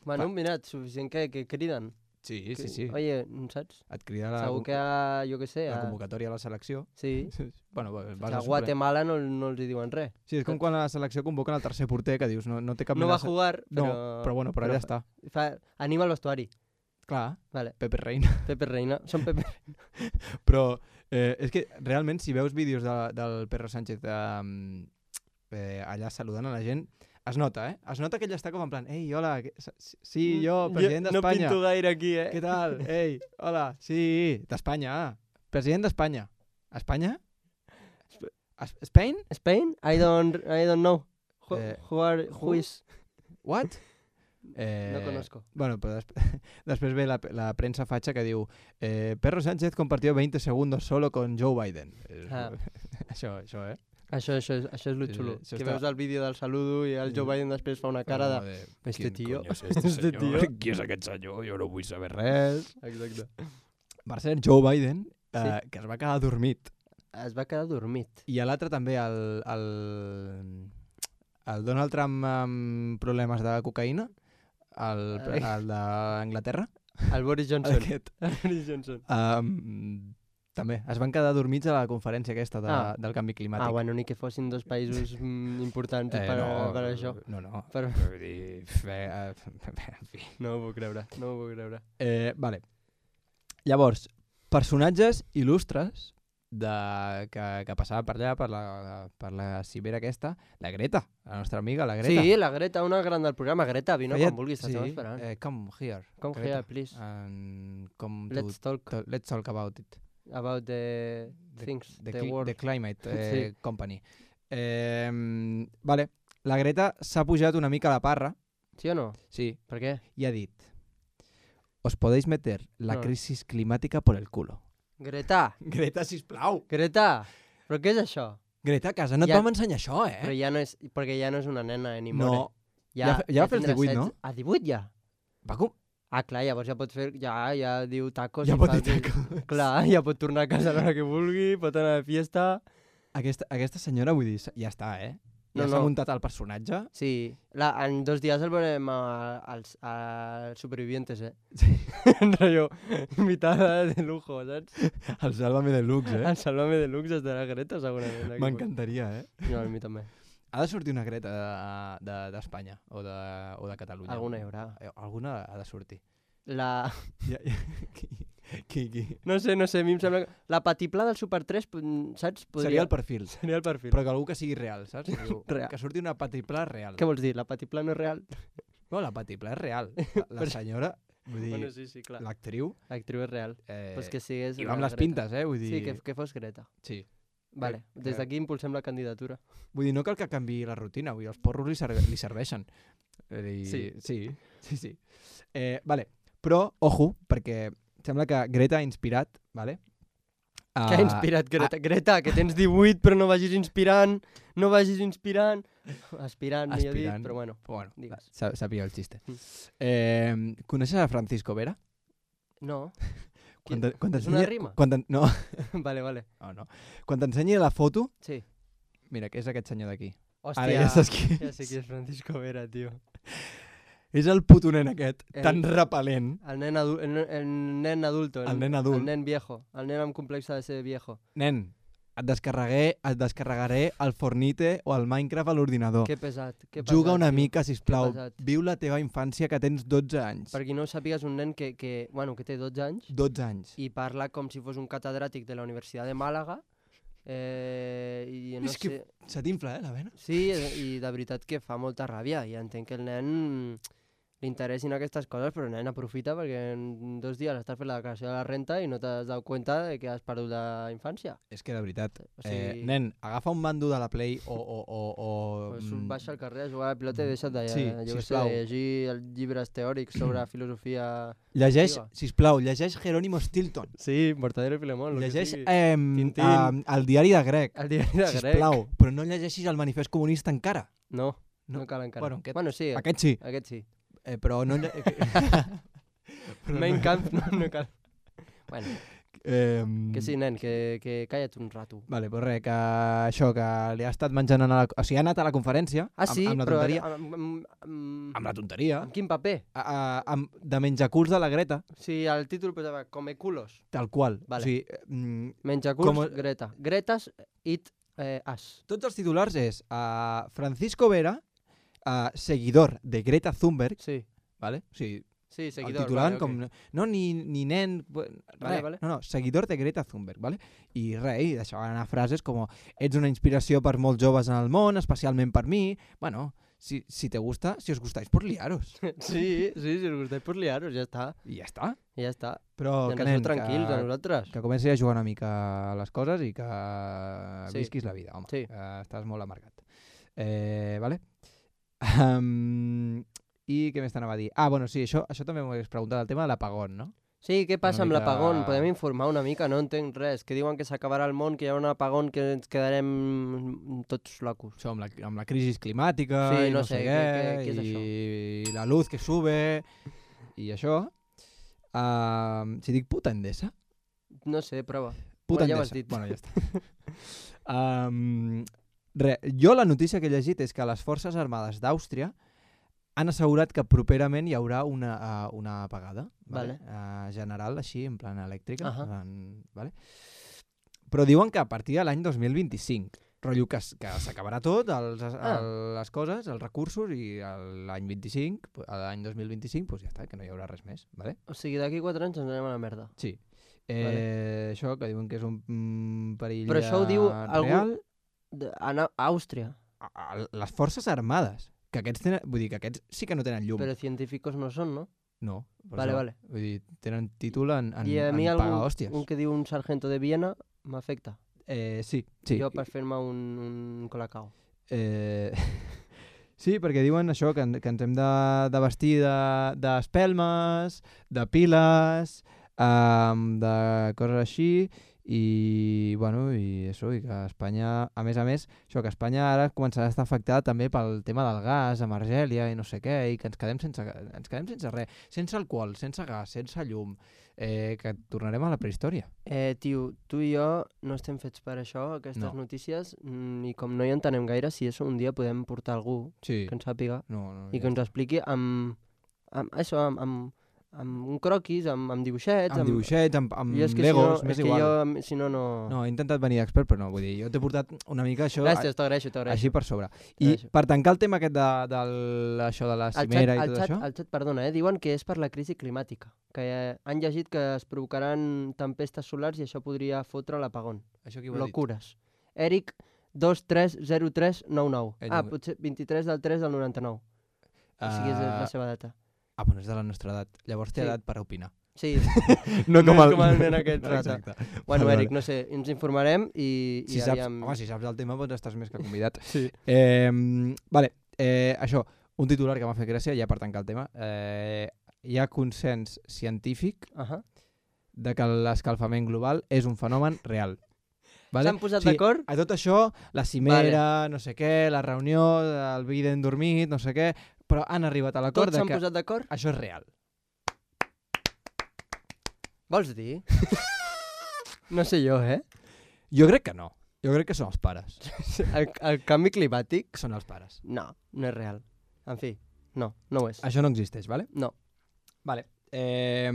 Bueno, Va. mira, suficient que, que criden. Sí, Que- sí, sí. Oye, saps? Et crida la, Segur que, ha, jo què sé, la a, convocatòria a la selecció. sí, Bueno, vas a a suplent. Guatemala no, no els hi diuen res. Sí, és com quan a la selecció convoquen el tercer porter, que dius, no, no té cap No mena va de a se- jugar, No, però... però bueno, però allà està. Fa, anima el vestuari. Clar, Vale. Pepe Reina. Pepe Reina. Són Pepe Però eh, és que realment, si veus vídeos de, del Pedro Sánchez eh, eh, allà saludant a la gent, es nota, eh? Es nota que ell està com en plan, ei, hola, que- sí, jo, president No d'Espanya. pinto gaire aquí, eh? Què tal? Ei, hola, sí, d'Espanya. President d'Espanya. Espanya? Es- Spain? Spain? I don't, I don't know. Who, Eh, who are, who? who is? What? Eh, No conozco. Bueno, però després, després ve la, la premsa fatxa que diu eh, Pedro Sánchez compartió veinte segundos solo con Joe Biden. Eh, Ah. això, això, eh? Això, això, és, això és lo Sí, sí, xulo. això que està- veus el vídeo del saludo i el Joe Sí. Biden després fa una cara de... Com de Este "Quin tio, coño es este este senyor? tio". Qui és aquest senyor? Jo no vull saber res. Exacte. Va ser Joe Biden, eh, Sí. que es va quedar dormit. Es va quedar dormit. I a l'altre també, el, el, el Donald Trump amb problemes de cocaïna, el, Ai. el d'Anglaterra, El Boris Johnson. aquest, El Boris Johnson. um, també es van quedar dormits a la conferència aquesta de, Ah. del canvi climàtic. Ah, bueno, ni que fossin dos països mm, importants Eh, per, no, per això. No, no. Per... Vull dir, fe, eh, en fi. No ho puc creure, no ho puc creure. Eh, vale. Llavors, personatges il·lustres de, que, que passava per allà, per la, per la cibera aquesta, la Greta, la nostra amiga, la Greta. Sí, la Greta, una gran del programa. Greta, vine Feia- quan vulguis, t'estem esperant. Eh, come here. Come Greta. here, please. And come Let's to, talk to- let's talk about it. about the, The- things, The, the, cli- world. the Climate eh, Sí. Company. Eh, vale, la Greta s'ha pujat una mica a la parra, Sí o no? sí, Per què? y ha dit: os podéis meter la No. crisis climática por el culo. Greta! Greta, sisplau! Greta! Però què és això? Greta, a casa no et Ja- vam ensenyar això, eh? Però ja no és... Perquè ja no és una nena, eh, ni more. no, ja fe- ja va fer els tindrà divuit, no? setze. Ah, divuit ja? va com... Ah, clar, llavors ja pot fer... Ja, ja diu tacos. Ja i pot fa dir el- tacos. Clar, ja pot tornar a casa a l'hora que vulgui, pot anar de fiesta... Aquesta, aquesta senyora, vull dir, ja està, eh? Ja No, s'ha no. muntat el personatge. Sí, la, en dos dies el veurem a- als, als supervivientes, eh? Sí. En rotllo, invitada de lujo, saps? El Sálvame Deluxe, eh? El Salvame Deluxe estarà Greta, segurament. aquí. M'encantaria, eh? No, a mi també. Ha de sortir una Greta d'Espanya de, de, o, de, o de Catalunya. Alguna hi haurà. Eh, Alguna ha de sortir. La... Ja, ja. Qui, qui, qui? No sé, no sé, a mi em sembla que... La patiplà del Super tres, pu- saps? Seria el perfil. Seria el perfil. Però que algú que sigui real, saps? Que, diu, Real. que surti una patiplà real. Què vols dir? La patiplà no és real? No, la patiplà és real. La, la Però- senyora, vull dir, Bueno, sí, sí, clar. l'actriu... L'actriu és real. Eh, Pues que sigués... I una va amb les Greta. pintes, eh? Vull dir, Sí, que, que fos Greta. sí. Vale, que- des d'aquí impulsem la candidatura. Vull dir, no cal que canvi la rutina, vull dir, els porros li, serve, li serveixen. Vull dir, Sí. Sí, sí, sí. Eh, vale, però, ojo, perquè sembla que Greta ha inspirat, vale? Uh, Què ha inspirat Greta? Greta, que tens divuit però no vagis inspirant, no vagis inspirant. Aspirant, millor dit, Aspirant. però bueno. Bueno, Digues. sa- sabia el xiste. Mm. Eh, coneixes a Francisco Vera? No. Quan te- quan és una t'ensenyi- rima? Quan t'en- no, Vale, vale. no, no. Quan t'ensenyi la foto, Sí. mira, que és aquest senyor d'aquí. Hòstia, Ara ja saps qui ja sé qui és Francisco Vera, tio. És el puto nen aquest, El- tan repel·lent. El nen, adu el, el nen adulto. El nen adult. El nen viejo. El nen amb complexa de ser viejo. Nen, et descarregué, et descarregaré el Fornite o el Minecraft a l'ordinador. Que pesat, que pesat. Juga una tio. mica, sisplau. pesat. Viu la teva infància que tens dotze anys. Per qui no ho sàpigues, un nen que, que, bueno, que té dotze anys dotze anys. i parla com si fos un catedràtic de la Universitat de Màlaga. Eh, i no És que sé... se t'infla, eh, la vena? Sí, i de veritat que fa molta ràbia i entenc que el nen li interessin aquestes coses, però nen, aprofita perquè en dos dies estàs fent la declaració de la renta i no t'has dado cuenta de que has perdut la infància. És que de veritat, O sigui- eh, nen, agafa un mando de la Play o... o, o, o Pues mm, baixa al carrer a jugar a la pilota i deixa't de, Sí, jo què sé, sisplau. de llegir els llibres teòrics sobre filosofia... llegeix, Activa. sisplau, llegeix Jerónimo Stilton. Sí, Mortadelo i Filemón. lo que Llegeix sigui. eh, Tintín. eh, el diari de grec, El diari de grec. sisplau, però no llegeixis el manifest comunista encara. No, No. no, cal encara. Bueno, aquest- bueno sí, Aquest sí, aquest sí. eh, però no... lle- però no- Main Camp no, no cal. Bueno, Eh, que sí, nen, que, que calla't un rato. Vale, doncs res, que això, que li ha estat menjant a la... O sigui, ha anat a la conferència Ah, sí? amb, amb la però tonteria. Amb, amb, amb, Amb la tonteria. amb quin paper? A, a, amb, de menjaculs de la Greta, Sí, al títol posava Come culos. tal qual. Vale. O sigui, mm, Menjaculs, Com- Greta. Gretas, it, eh, as. tots els titulars és uh, Francisco Vera, uh, seguidor de Greta Thunberg, Sí, vale? O sigui, sí, el seguidor. titulant vale, com... ok. No, ni, ni nen... Res, Vale, vale. no, no, seguidor de Greta Thunberg, vale? I res, i deixaven anar frases com ets una inspiració per molts joves en el món, especialment per mi. Bueno, si, si te gusta, si os gustáis, por liaros. Sí, sí, si us gustáis, pues liaros, ja està. I ja està. I ja està. Però Ja que, aneu nen, tranquils a que, nosaltres. que comenci a jugar una mica a les coses i que Sí. visquis la vida, home. Sí. Que estàs molt amargat. Eh, vale? Um, I què més t'anava a dir? Ah, bueno, sí, això, això també m'ho hagués preguntat, el tema de l'apagón, no? Sí, què passa amb mica- l'apagón? Podem informar una mica? No entenc res. Que diuen que s'acabarà el món, que hi haurà un apagón, que ens quedarem tots locos. Això amb la, amb la crisi climàtica Sí, i no no sé sé, què, què- què- què és i, i la luz que sube i això. Um, si dic puta endesa, No sé, prova. puta Bueno, ja ho endesa. has dit. Bueno, ja està. um, re, jo la notícia que he llegit és que les Forces Armades d'Àustria han assegurat que properament hi haurà una, uh, una apagada vale? Uh, general, així, en plan elèctrica. Ahà. En, vale? Però diuen que a partir de l'any dos mil vint-i-cinc, rotllo que, s- que s'acabarà tot, els, Ah. el, les coses, els recursos, i el- l'any vint-i-cinc, pu- a l'any dos mil vint-i-cinc, pues ja està, que no hi haurà res més. Vale? O sigui, d'aquí quatre anys ens anem a la merda. Sí. Eh, Això, que diuen que és un mm, perill Però això ho diu eh, algú- real. De, a, a Àustria. A, a, les forces armades. Que aquests tenen, vull dir que aquests sí que no tenen llum. Però científicos no són, no? No. per Vale, això. vale. Vull dir, tenen títol en, en, I a mi en algun, pagar hòsties. un que diu un sargento de Viena m'afecta. Eh, sí, sí. Jo per fer-me un, un colacao. Eh, sí, perquè diuen això, que, en- que ens hem de, de vestir de- d'espelmes, de, de piles, um, de coses així, i, bueno, i això, i que Espanya, a més a més, això, que Espanya ara començarà a estar afectada també pel tema del gas, amb Argèlia i no sé què, i que ens quedem sense, ens quedem sense res, sense alcohol, sense gas, sense llum, eh, que tornarem a la prehistòria. Eh, tio, tu i jo no estem fets per això, aquestes No. notícies, mm, i com no hi entenem gaire, si això un dia podem portar algú Sí. que ens sàpiga No, no, i ja que ens expliqui amb, amb això, amb, amb, amb un croquis, amb, amb dibuixets, amb dibuixets, amb, amb Jo és que legos, si no, m'és és que igual. jo, si no, no... No, he intentat venir d'expert, però no, vull dir, jo t'he portat una mica això Gràcies, t'agraeixo, t'agraeixo. així per sobre. I T'agraeixo. per tancar el tema aquest de, de això de la El xat, cimera i el, tot xat, això... el xat, perdona, eh, diuen que és per la crisi climàtica, que eh, han llegit que es provocaran tempestes solars i això podria fotre l'apagón. Això qui ho ha dit? Locures. Eric dos tres zero tres nou nou. Ell Ah, no- potser vint-i-tres del tres del noranta-nou. O sigui, és la Ah, seva data. ah, bueno, és de la nostra edat. Llavors té Sí. edat per opinar. Sí, No, no és com el nen aquest rata. Exacte. bueno, Vale, Eric, no sé, ens informarem i, i Si saps, aviam... home, si saps el tema, doncs estàs més que convidat. Sí. Eh, vale, eh, això, un titular que m'ha fet gràcia, ja per tancar el tema. Eh, hi ha consens científic Uh -huh. de que l'escalfament global és un fenomen real. Vale? S'han posat O sigui, d'acord? A tot això, la cimera, no sé què, la reunió, el Biden dormit, no sé què, però han arribat a l'acord Tots de s'han que posat d'acord? això és real. Vols dir? no sé jo, eh? Jo crec que no. Jo crec que són els pares. El, el canvi climàtic? Que són els pares. No, no és real. En fi, no, no ho és. Això no existeix, vale? No. Vale. Eh,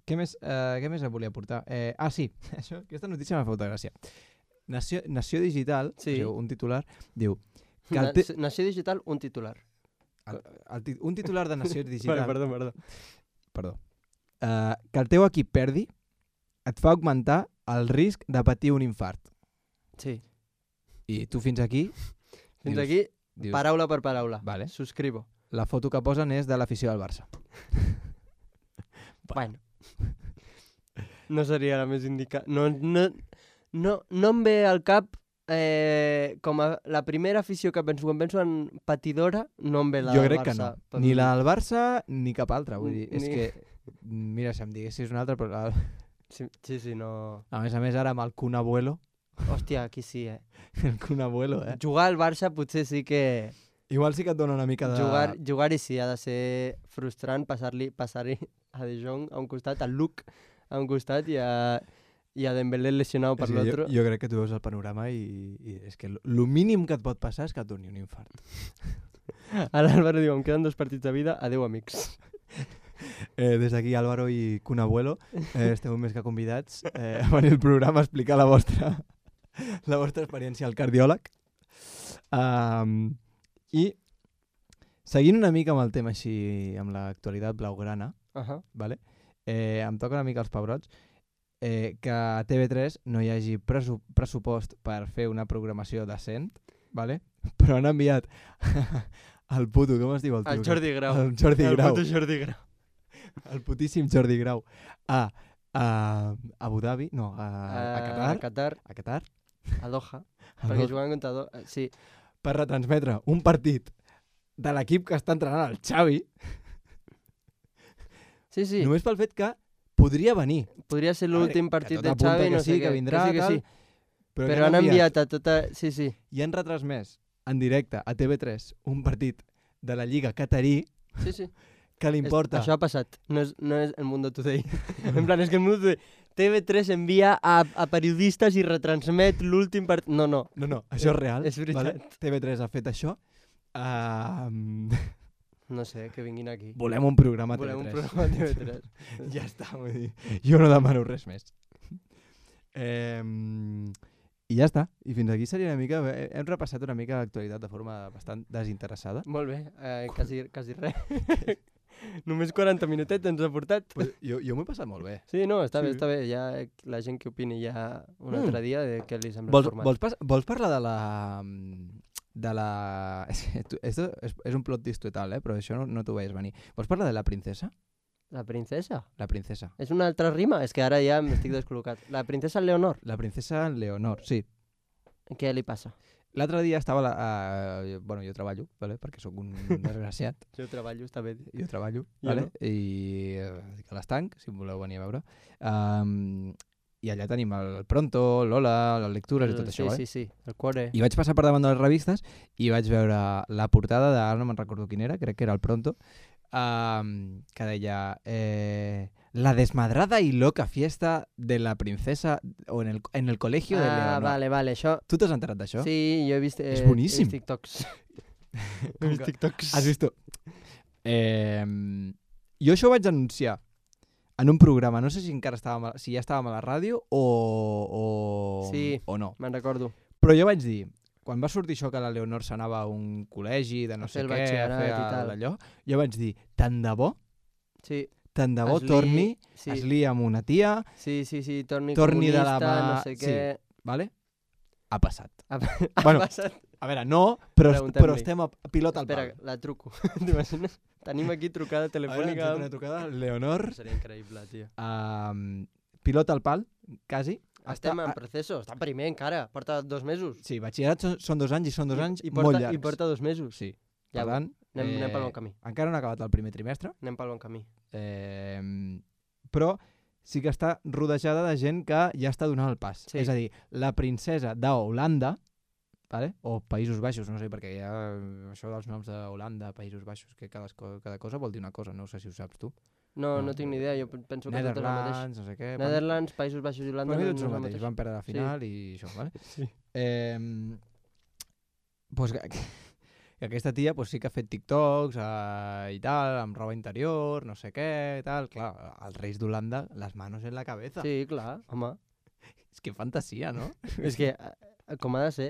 què, més, eh, què més em volia portar? Eh, ah, sí. Això, aquesta notícia m'ha fet molta gràcia. Nació, Nació Digital, Sí. o sigui, un titular, diu... Que el Na te... Nació Digital, un titular. el, el, ti- un titular de Nació Digital... Vale, perdó, perdó. Perdó. Uh, que el teu equip perdi et fa augmentar el risc de patir un infart. Sí. I tu fins aquí... Fins dius- aquí, dius, paraula per paraula. Vale. Subscribo. la foto que posen és de l'afició del Barça. Bueno. No seria la més indicada. No, no, no, no em ve al cap eh, com a la primera afició que penso. Quan penso en patidora, no em ve la Jo del crec Barça. que no. Per Ni mi. la del Barça ni cap altra. Vull dir, és Ni- que... Mira, si em diguessis una altra, però... la- Sí, sí, sí, no... A més a més, ara amb el Kun Abuelo... Hòstia, aquí sí, eh? El Kun Abuelo, eh? Jugar al Barça potser sí que... Igual sí que et dona una mica de... Jugar, jugar-hi sí, ha de ser frustrant passar-li passar-hi a De Jong a un costat, a Luke a un costat i a, i a Dembélé lesionado per És que jo, l'altre. jo crec que tu veus el panorama i, i és que el mínim que et pot passar és que et doni un infart. Ara l'Àlvaro diu, em queden dos partits de vida, adeu amics. Eh, des d'aquí, Álvaro i Kun Abuelo, eh, esteu més que convidats eh, a venir al programa a explicar la vostra, la vostra experiència al cardiòleg. Um, I seguint una mica amb el tema així, amb l'actualitat blaugrana, Uh -huh. vale? eh, em toca una mica els pebrots, eh, que a T V tres no hi hagi pressu pressupost per fer una programació decent, vale? Però han enviat el puto, com es diu el tio? El Jordi Grau. El Jordi el Grau. puto Jordi Grau. El putíssim Jordi Grau a, a Abu Dhabi, no, a, a Qatar, A Qatar, a Qatar, a Doha, a perquè Doha, juguen contra Doha. Sí, per retransmetre un partit de l'equip que està entrenant el Xavi, sí, sí. només pel fet que podria venir. Podria ser A veure, l'últim que partit tot de apunta Xavi, que no sí, sé que què. vindrà, que sí, que tal, sí. Però, Però que han enviat a tota... Sí, sí. i han retransmès en directe a T V tres un partit de la Lliga Catarí Sí, sí. que li importa... És, això ha passat, no és, no és el Mundo Today. En plan, és que el Mundo Today... T V tres envia a, a periodistes i retransmet l'últim partit... No, no. No, no, això és real. És veritat. Vale? T V tres ha fet això. Uh, No sé, que vinguin aquí. volem un programa a Volem un T V tres. programa a T V tres. Ja està, vull dir, jo no demano res més. Eh, I ja està. I fins aquí seria una mica... eh, Hem repassat una mica l'actualitat de forma bastant desinteressada. Molt bé, eh, quasi, quasi res. Només quaranta minutets ens ha portat. Pues jo jo m'ho he passat molt bé. Sí, no, està Sí. bé, està bé. Ja la gent que opini ja un Mm. altre dia de què li sembla Vols, el format. vols, pas, vols parlar de la... de la... Esto és, és un plot twist total, eh? Però això no, no t'ho veies venir. Vols parlar de la princesa? La princesa? La princesa. És una altra rima? És que ara ja m'estic descol·locat. La princesa Leonor, La princesa Leonor, sí. què li passa? L'altre dia estava... La, uh, bueno, jo treballo, vale? Perquè sóc un desgraciat. Jo treballo, està bé. Jo treballo, Jo vale? no. I eh, estic a l'estanc, si em voleu venir a veure. Um, I allà tenim el Pronto, l'Ola, les lectures i tot sí, això, vale? sí, sí, el cuore. I vaig passar per davant de les revistes i vaig veure la portada de, ara no me'n recordo quin era, crec que era el Pronto, um, que deia eh, la desmadrada y loca fiesta de la princesa o en el, en el colegio de Ah, Leonor. vale, vale, això... Tu t'has enterat d'això? Sí, jo he vist... Eh, És boníssim. He vist TikToks. Com he vist que- TikToks. Has vist? Eh, jo això ho vaig anunciar en un programa, no sé si encara estàvem, a- si ja estàvem a la ràdio o, o, Sí. o no. Me'n recordo. Però jo vaig dir, quan va sortir això que la Leonor s'anava a un col·legi de no A sé fer el què, a batxillerat fer i tal. allò, jo vaig dir, tant de bo, Sí, tant de bo Es li- torni, sí. es lia amb una tia, sí, sí, sí, torni, Torni de comunista, la mà- no sé sí. què... vale? Ha passat. Ha, Bueno, ha passat. A veure, no, però, Preguntem-li. però estem a pilot al Espera, pal. la truco. T'imagines? Tenim aquí trucada A veure, ens telefònica. ha fet una trucada, Leonor, Seria increïble, tio. um, pilot al pal, quasi. Estem Està- en proceso, està primer encara, porta dos mesos. Sí, batxillerat són, són dos anys i són dos anys I, molt porta, llargs. I porta dos mesos. Sí. Ja Per ho- tant, anem, anem pel bon camí. encara no ha acabat el primer trimestre, Anem pel bon camí. eh, però sí que està rodejada de gent que ja està donant el pas. Sí. És a dir, la princesa d'Holanda, vale? O Països Baixos, no sé, perquè hi ha això dels noms d'Holanda, Països Baixos, que cada, co- cada cosa vol dir una cosa, no sé si ho saps tu. No, No. no tinc ni idea, jo penso que tot és el mateix. Netherlands, no sé què... Netherlands, Països Baixos i Holanda Per mi no, tots no el és el mateix, mateix. van perdre la Sí. final i això, vale? Sí. Eh, pues, que, que aquesta tia pues, sí que ha fet TikToks eh, i tal, amb roba interior, no sé què, tal. Clar, els reis d'Holanda, les manos en la cabeza. Sí, clar, home. És que fantasia, no? És que, eh, com ha de ser,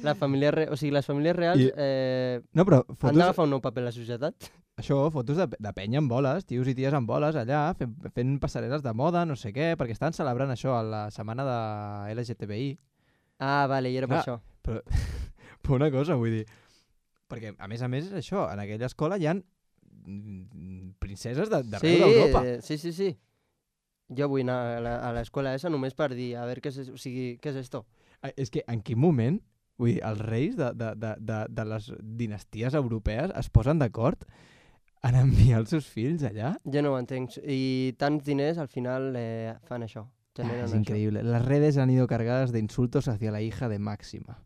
la família re... o sigui, les famílies reals I- eh, No, però han fotos, d'agafar un nou paper a la societat. això, fotos de, de penya amb boles, tios i ties amb boles allà, fent, fent passarel·les de moda, no sé què, perquè estan celebrant això a la setmana de L G T B I. Ah, vale, i era per Clar. això. Però, però una cosa, vull dir, perquè a més a més és això, en aquella escola hi ha mm, princeses de- d'arreu Sí, d'Europa. eh, sí, sí, sí. Jo vull anar a la- a l'escola esa només per dir, a veure què és, o sigui, què és esto. Eh, És que en quin moment, vull dir, els reis de, de, de, de, de les dinasties europees es posen d'acord en enviar els seus fills allà? Jo no ho entenc. I tants diners al final eh, fan això. Ah, Generen es això. increíble. Las redes han ido cargadas de insultos hacia la hija de Máxima.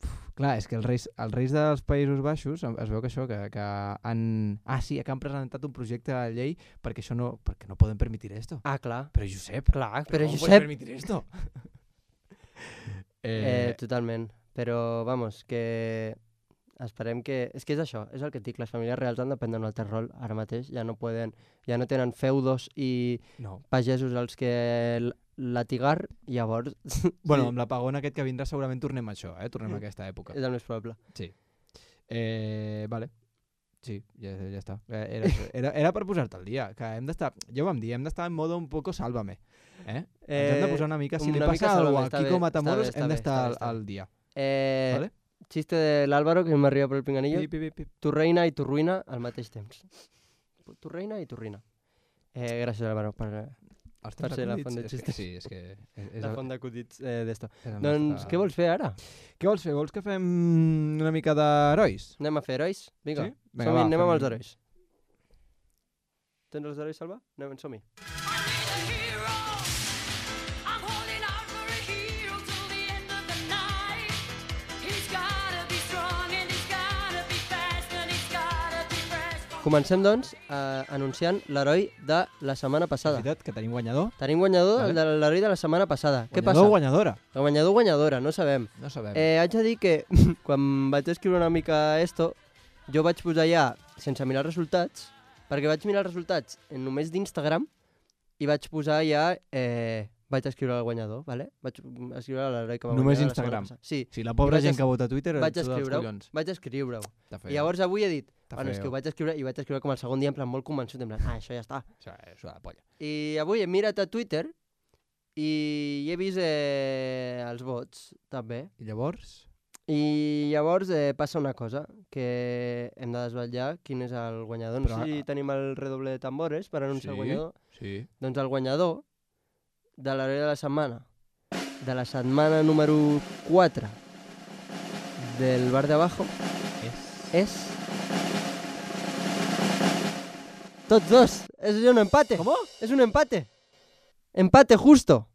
Uf, clar, és que els reis, els reis dels Països Baixos em- es veu que això, que, que han... Ah, sí, que han presentat un projecte de llei perquè això no, perquè no poden permitir esto. Ah, clar. Però Josep, Clar, però però com Josep... puedes permitir esto? Eh, eh, totalment. Però, vamos, que esperem que... És que és això, és el que et dic, les famílies reals han de prendre un altre rol ara mateix, ja no poden, ja no tenen feudos i no. pagesos als que l- latigar, llavors Bueno, sí, amb l'apagón aquest que vindrà segurament tornem a això, eh? Tornem a aquesta època. és el més probable. Eh, vale. Sí, ja, ja està. Eh, Era, això. era, era per posar-te al dia, que hem d'estar, ja ho vam dir, hem d'estar en modo un poco sálvame. Eh? Ens hem de posar una mica, si li una mica passa alguna Sálvame, cosa està a bé, Kiko està Matamoros, bé, està hem bé, d'estar està bé, al, està bé. al dia. Eh, Vale? Xiste de l'Àlvaro que m'arriba per el pinganillo. Pi, pi, pi, pi. Tu reina i tu ruïna al mateix temps. Tu reina i tu ruïna. Eh, gràcies, Álvaro, per eh, Els Per ser la acudits, font de és que xistes. Sí, és que... És, és la el- font d'acudits eh, d'esto. és el Doncs, nostre- què vols fer ara? Què vols fer? Vols que fem una mica d'herois? Anem a fer herois? Vinga, Sí? Vinga, som-hi, va, anem fem- amb els herois. Tens els herois, Salva? Anem, som-hi. Comencem, doncs, eh, anunciant l'heroi de la setmana És passada. veritat que tenim guanyador? Tenim guanyador, Vale. el de l'heroi de la setmana passada. Què Guanyador passa? o guanyadora? El guanyador o guanyadora, no sabem. No sabem. Eh, haig de dir que quan vaig escriure una mica esto, jo vaig posar ja, sense mirar els resultats, perquè vaig mirar els resultats en només d'Instagram i vaig posar ja, eh, vaig escriure el guanyador, ¿vale? Vaig escriure l'heroi que va Només guanyar la setmana Instagram. passada. Sí, Si la pobra vaig gent es- que vota a Twitter vaig ets tu dels escriure-ho, collons. vaig escriure-ho. Està I feo. llavors avui he dit, Està bueno, és que feo. ho vaig escriure i vaig escriure com el segon dia en plan molt convençut, en plan, ah, això ja està. Això és una polla. I avui he mirat a Twitter i he vist eh, els vots, també. I llavors? I llavors eh, passa una cosa, que hem de desvetllar quin és el guanyador. No Però, sé si tenim el redoble de tambores per anunciar Sí. el guanyador. Sí. Doncs el guanyador de l'heroi de la setmana, de la setmana número quatre del bar de abajo, És... és... Tots dos. És un empate. Com? És un empate. Empate justo.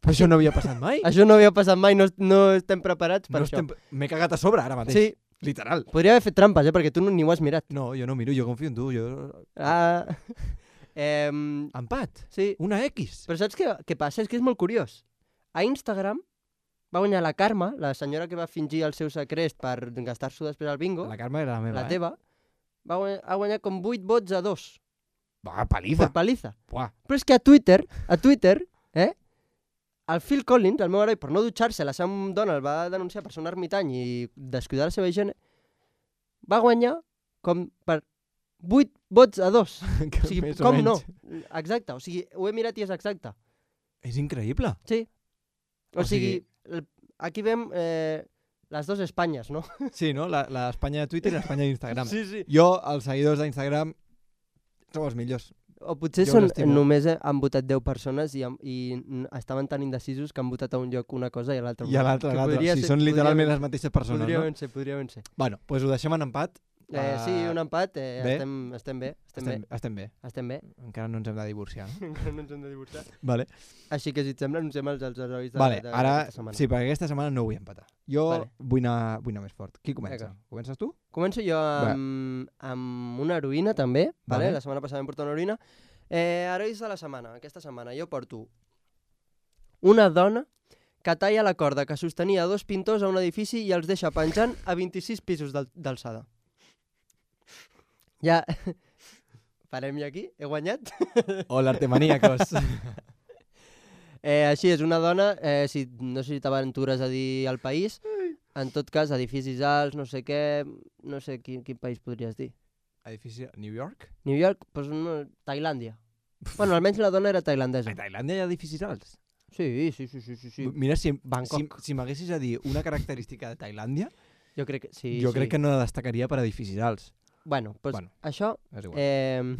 Però això no havia passat mai. Això no havia passat mai, no, no estem preparats per No això. estem... M'he cagat a sobre ara mateix. Sí, Literal. podria haver fet trampes, eh, perquè tu no, ni ho has mirat. No, jo no miro, jo confio en tu. Jo... Ah, em, Empat. sí, Una X. però saps què, què passa? És que és molt curiós. A Instagram va guanyar la Carme, la senyora que va fingir el seu secret per gastar-s'ho després al bingo, La Carme era la meva, la eh? teva, va guanyar, ha guanyat com vuit vots a dos, Va, paliza. per paliza. Buah. Però és que a Twitter, a Twitter, eh, el Phil Collins, el meu heroi, per no dutxar-se, la seva dona el va denunciar per ser un ermitany i descuidar la seva higiene, va guanyar com per vuit vots a dos. Que O sigui, més o com no? menys. Exacte, o sigui, ho he mirat i és exacte. És increïble. Sí. O, O sigui- sigui, el- aquí vem eh, les dues Espanyes, no? Sí, no? La- L'Espanya de Twitter i l'Espanya d'Instagram. Sí, sí. Jo, els seguidors d'Instagram, som els millors. O potser Jo són, us estimo. només eh, han votat deu persones i, han- i n- estaven tan indecisos que han votat a un lloc una cosa i a l'altre I a l'altre, a l'altre. Sí, són literalment les mateixes persones, podria no? ben ser, podria ben ser. Bueno, doncs ho deixem en empat. Eh, sí, Ah, un empat, eh, bé. estem, estem bé, estem, Estem, estem bé. bé, estem bé. Encara no ens hem de divorciar. No? Encara no ens hem de divorciar. Vale. Així que si et sembla, anunciem els, els herois de, Vale, de, ara, d'aquesta setmana. sí, perquè aquesta setmana no vull empatar. Jo Vale. vull, anar, vull anar més fort. Qui comença? Vinga. Comences tu? Començo jo amb, amb una heroïna, també. Vale. Vale. La setmana passada vam portar una heroïna. Eh, herois de la setmana. Aquesta setmana jo porto una dona que talla la corda que sostenia dos pintors a un edifici i els deixa penjant a vint-i-sis pisos d'al- d'alçada. Ja... Parem ja aquí? He guanyat? Hola, artemaníacos. Eh, així és, una dona, eh, si, no sé si t'aventures a dir el país, en tot cas, edificis alts, no sé què, no sé quin, quin país podries dir. Edifici New York? New York, doncs no, Tailàndia. Bueno, almenys la dona era tailandesa. A Tailàndia hi ha edificis alts? Sí, sí, sí, sí, sí, sí. Mira, si, si, Bangkok. si m'haguessis a dir una característica de Tailàndia, Jo crec que sí. jo sí. crec que no destacaria per edificis alts. Bueno, doncs Bueno, això és igual. eh,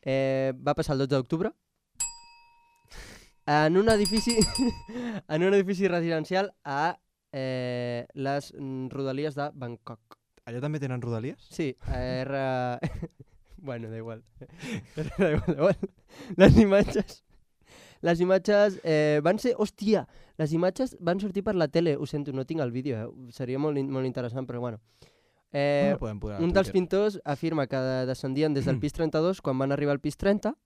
eh, va passar el dotze d'octubre en un edifici en un edifici residencial a eh, les mm, rodalies de Bangkok. Allà també tenen rodalies? Sí, era... bueno, da igual. da igual, da igual. Les imatges... Les imatges eh, van ser... Hòstia! Les imatges van sortir per la tele. Ho sento, no tinc el vídeo, eh? Seria molt, in- molt interessant, però bueno. Eh, No, podem posar a un dels Twitter. pintors afirma que descendien des del pis trenta-dos quan van arribar al pis trenta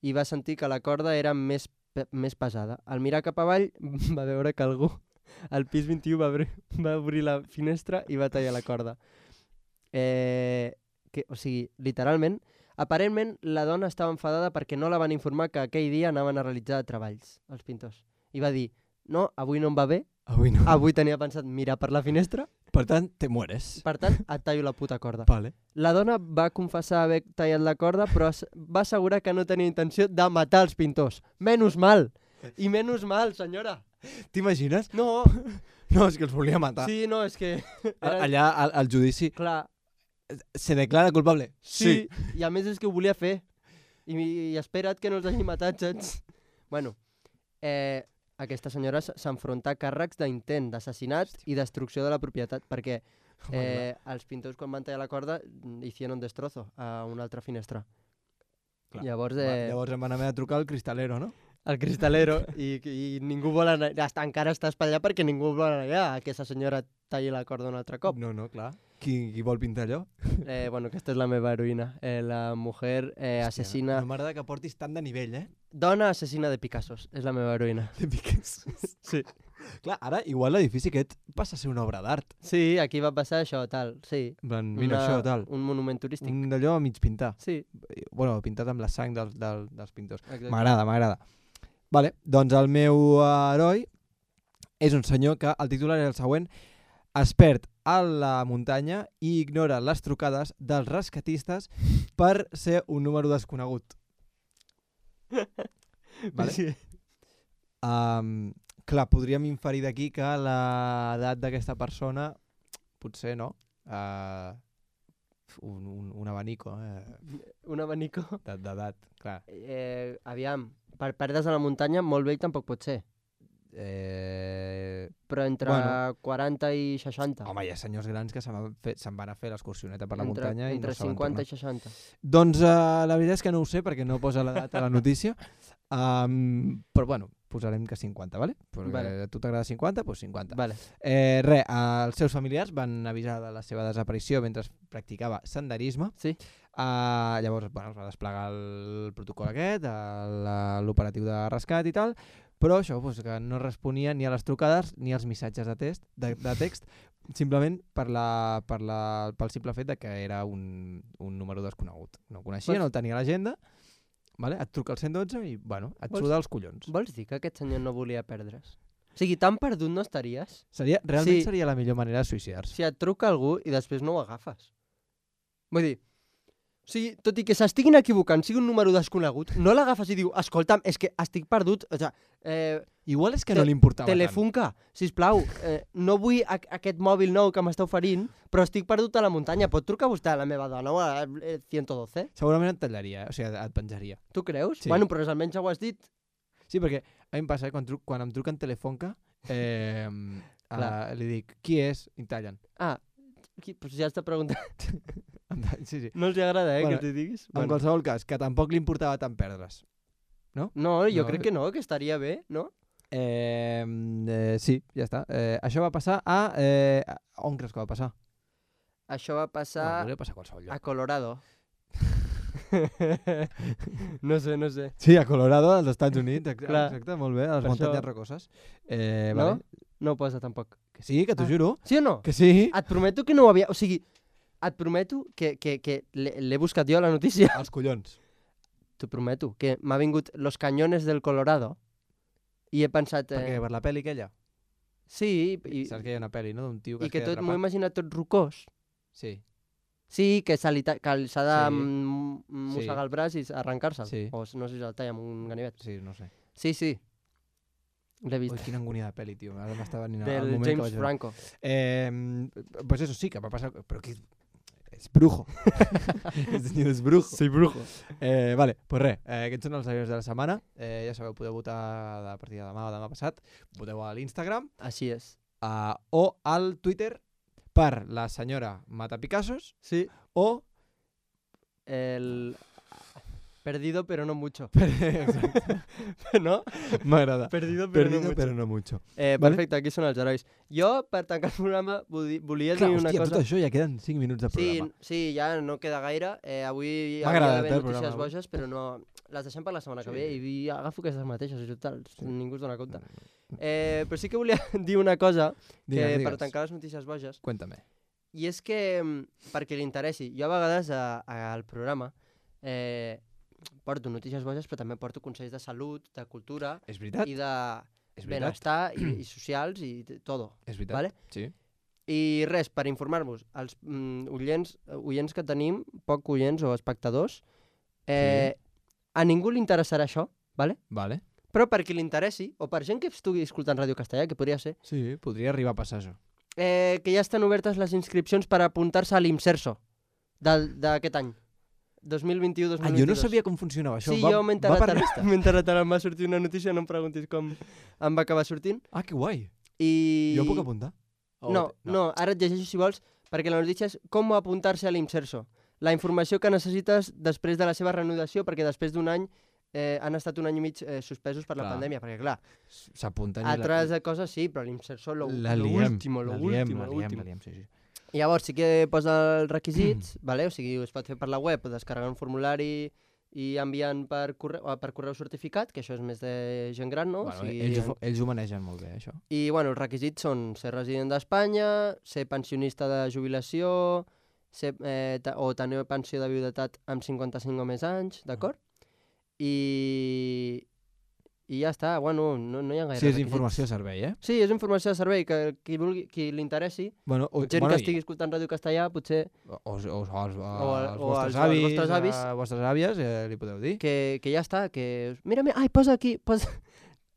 i va sentir que la corda era més, pe- més pesada. Al mirar cap avall va veure que algú al pis vint-i-u va obrir, va obrir la finestra i va tallar la corda. Eh, que, o sigui, literalment, aparentment la dona estava enfadada perquè no la van informar que aquell dia anaven a realitzar treballs, els pintors. I va dir, no, avui no em va bé, Avui no. avui tenia pensat mirar per la finestra, Per tant, te mueres. per tant, et tallo la puta corda. Vale. La dona va confessar haver tallat la corda, però as- va assegurar que no tenia intenció de matar els pintors. Menys mal! I menys mal, senyora! T'imagines? No, No, és que els volia matar. sí, no, és que... A- Era... Allà, al, al judici, Clar, se declara culpable? sí. I a més és que ho volia fer. I, i espera't que no els hagi matat, saps? Bueno, eh, aquesta senyora s- s'enfronta a càrrecs d'intent, d'assassinat i destrucció de la propietat, perquè Home, eh, els pintors quan van tallar la corda mm, hicieron destrozo a una altra finestra. Clar. Llavors, Va, eh, llavors em van haver de trucar al cristalero, no? el cristalero i, i ningú vol anar, hasta encara està espatllat perquè ningú vol anar allà a que aquesta senyora talli la corda un altre cop. No, no, clar. Qui, qui vol pintar allò? Eh, bueno, aquesta és la meva heroïna. Eh, la mujer eh, assassina... No m'agrada que portis tant de nivell, eh? Dona assassina de Picassos, és la meva heroïna. De piques. Sí. Clar, ara igual l'edifici aquest passa a ser una obra d'art. Sí, aquí va passar això, tal, sí. En plan, mira això, tal. Un monument turístic. Un d'allò a mig pintar. Sí, Bueno, pintat amb la sang dels, dels, dels pintors. exacte. M'agrada, m'agrada. Vale, doncs el meu heroi és un senyor que el titular és el següent: es perd a la muntanya i ignora les trucades dels rescatistes per ser un número desconegut. Vale? Sí. Um, clar, podríem inferir d'aquí que l'edat d'aquesta persona, potser, no? Uh, un, un, un abanico eh? Un abanico. de- d'edat, clar. Eh, aviam, per perdre's a la muntanya molt vell tampoc pot ser. Eh... Però entre Bueno. quaranta i seixanta. Home, hi ha senyors grans que se'n van, fer, se'n van a fer l'excursioneta per la entre, muntanya i entre no saben cinquanta tornar. i seixanta. Doncs uh, la veritat és que no ho sé perquè no posa l'edat a la notícia. Um, però bueno, posarem que cinquanta, ¿vale? Perquè Vale. a tu t'agrada cinquanta, doncs cinquanta. Vale. Eh, res, els seus familiars van avisar de la seva desaparició mentre practicava senderisme. Sí. Uh, llavors, bueno, es va desplegar el protocol aquest, el- la- l'operatiu de rescat i tal, però això, doncs, que no responia ni a les trucades ni als missatges de, test, de, de text, simplement per la, per la, pel simple fet de que era un, un número desconegut. No el coneixia, Vols- no el tenia a l'agenda, vale? Et truca al cent dotze i, bueno, et Vols- suda els collons. Vols dir que aquest senyor no volia perdre's? O sigui, tan perdut no estaries Seria, realment Sí. seria la millor manera de suïcidar-se. si et truca algú i després no ho agafes. Vull dir, o sigui, tot i que s'estiguin equivocant, sigui un número desconegut, no l'agafes i diu, escolta'm, és que estic perdut, o sigui, eh, Igual és que Te- no li importava tant. Telefunca, sisplau, eh, no vull a aquest mòbil nou que m'està oferint, però estic perdut a la muntanya, pot trucar vostè a la meva dona o a eh, cent dotze? Segurament et tallaria, eh? O sigui, et penjaria. Tu creus? Sí. Bueno, però almenys ja ho has dit. Sí, perquè a mi em passa, eh? quan, truc, quan em truquen Telefonca, eh, a, li dic, qui és? I em tallen. Ah, qui, pues ja està preguntant. Em tallen, sí, sí. No els agrada, eh, Bueno, que t'hi diguis? En qualsevol cas, que tampoc li importava tant perdre's. No, jo No, crec que no, que estaria bé, no? Eh, eh, sí, ja està. Eh, això va passar a... Eh, a- on creus que va passar? Això va Bueno, passar podria passar a qualsevol lloc. a Colorado. no sé, no sé. Sí, a Colorado, als Estats Units. Ex Clar. exacte, molt bé, a les Per muntanyes això- rocoses. Eh, No? vale. No ho posa tampoc. Que sí, que t'ho Ah. juro. Sí o no? Que sí. Et prometo que no ho havia... O sigui, et prometo que, que, que l'he l'he buscat jo, la notícia. Els collons. T'ho prometo, que m'ha vingut Los Cañones del Colorado i he pensat... Per què? Eh, Per la pel·li aquella? sí, i, Saps que hi ha una pel·li, no? D'un tio que i es que queda tot m'ho he atrapat. imaginat tot rocós. Sí. Sí, que se li ta- que s'ha de Sí. mm, mossegar el braç i arrencar-se'l. Sí. O no sé si se'l talla amb un ganivet. Sí, no sé. Sí, sí. L'he vist. Ui, quina angúnia de pel·li, tio. Ara m'està venint el Del moment que James vaig veure. Franco. Eh, pues eso sí, que va passar... Però que... És brujo. El senyor és brujo. Soy brujo. Eh, vale, pues res, eh, aquests són els avions de la setmana. Eh, ja sabeu, podeu votar a partir de demà o demà passat. Voteu a l'Instagram Així és. uh, o al Twitter per la senyora Matapicassos Sí. o... El... Perdido pero no mucho. Exacte. ¿No? M'agrada. Perdido pero Perdido, no mucho. però no mucho. Eh, Vale. perfecte, aquí són els herois. Jo, per tancar el programa, voli- volia Clar, dir una hòstia, cosa... tot això ja queden cinc minuts de Sí, programa. sí, ja no queda gaire. Eh, avui M'ha hauria agradat, d'haver eh, el notícies programa, boges, però no... Les deixem per la setmana Sí. que ve i agafo aquestes mateixes, i total, Sí. ningú es dona compte. Eh, però sí que volia dir una cosa que Digues, per digues. tancar les notícies boges, Cuéntame. i és que, mm, perquè li interessi, jo a vegades a, a, al programa eh, porto notícies boges, però també porto consells de salut, de cultura És veritat? i de És veritat? benestar i, i socials i t- todo. És veritat? Vale? Sí. I res, per informar-vos, els mm, oients, oients que tenim, poc oients o espectadors, eh, a ningú li interessarà això, vale? Vale. Però per qui li interessi, o per gent que estigui escoltant Ràdio Castellà, que podria ser, Sí, podria arribar a passar això. eh, que ja estan obertes les inscripcions per apuntar-se a l'Imserso del- d'aquest any, dos mil vint-u dos Ah, mil jo vint-i-dos. no sabia com funcionava això. Sí, va, jo m'he va enterat per ara, llista? m'he enterat ara, em va sortir una notícia, no em preguntis com em va acabar sortint. Ah, que guai. I... Jo puc apuntar? O No, te- no, ara et llegeixo si vols, perquè la notícia és com apuntar-se a l'Imserso. La informació que necessites després de la seva reanudació, perquè després d'un any eh, han estat un any i mig eh, suspesos per la Clar. pandèmia, perquè clar, S'apunten i altres la... coses sí, però l'Imserso lo, la lo liem. último, lo la liem, último, la lo liem, último. la liem, sí, sí. I llavors sí que posa els requisits, vale? O sigui, es pot fer per la web, descarregar un formulari i enviant per correu, o per correu certificat, que això és més de gent gran, no? Bueno, o sigui, ells, ho- ells ho manegen molt bé, això. I bueno, els requisits són ser resident d'Espanya, ser pensionista de jubilació, ser, eh, ta- o tenir pensió de viudetat amb cinquanta-cinc o més anys, d'acord? I, I ja està, bueno, no, no hi ha gaire Sí, és requisits. informació de servei, eh? Sí, és informació de servei, que qui, vulgui, qui li interessi, Bueno, o, gent bueno, que estigui escoltant Ràdio Castellà, potser O, o, o, o, als, O al- als o vostres als- als avis, vostres avis. a vostres àvies, eh, li podeu dir. que, que ja està, que... Mira, mira, ai, posa aquí, posa...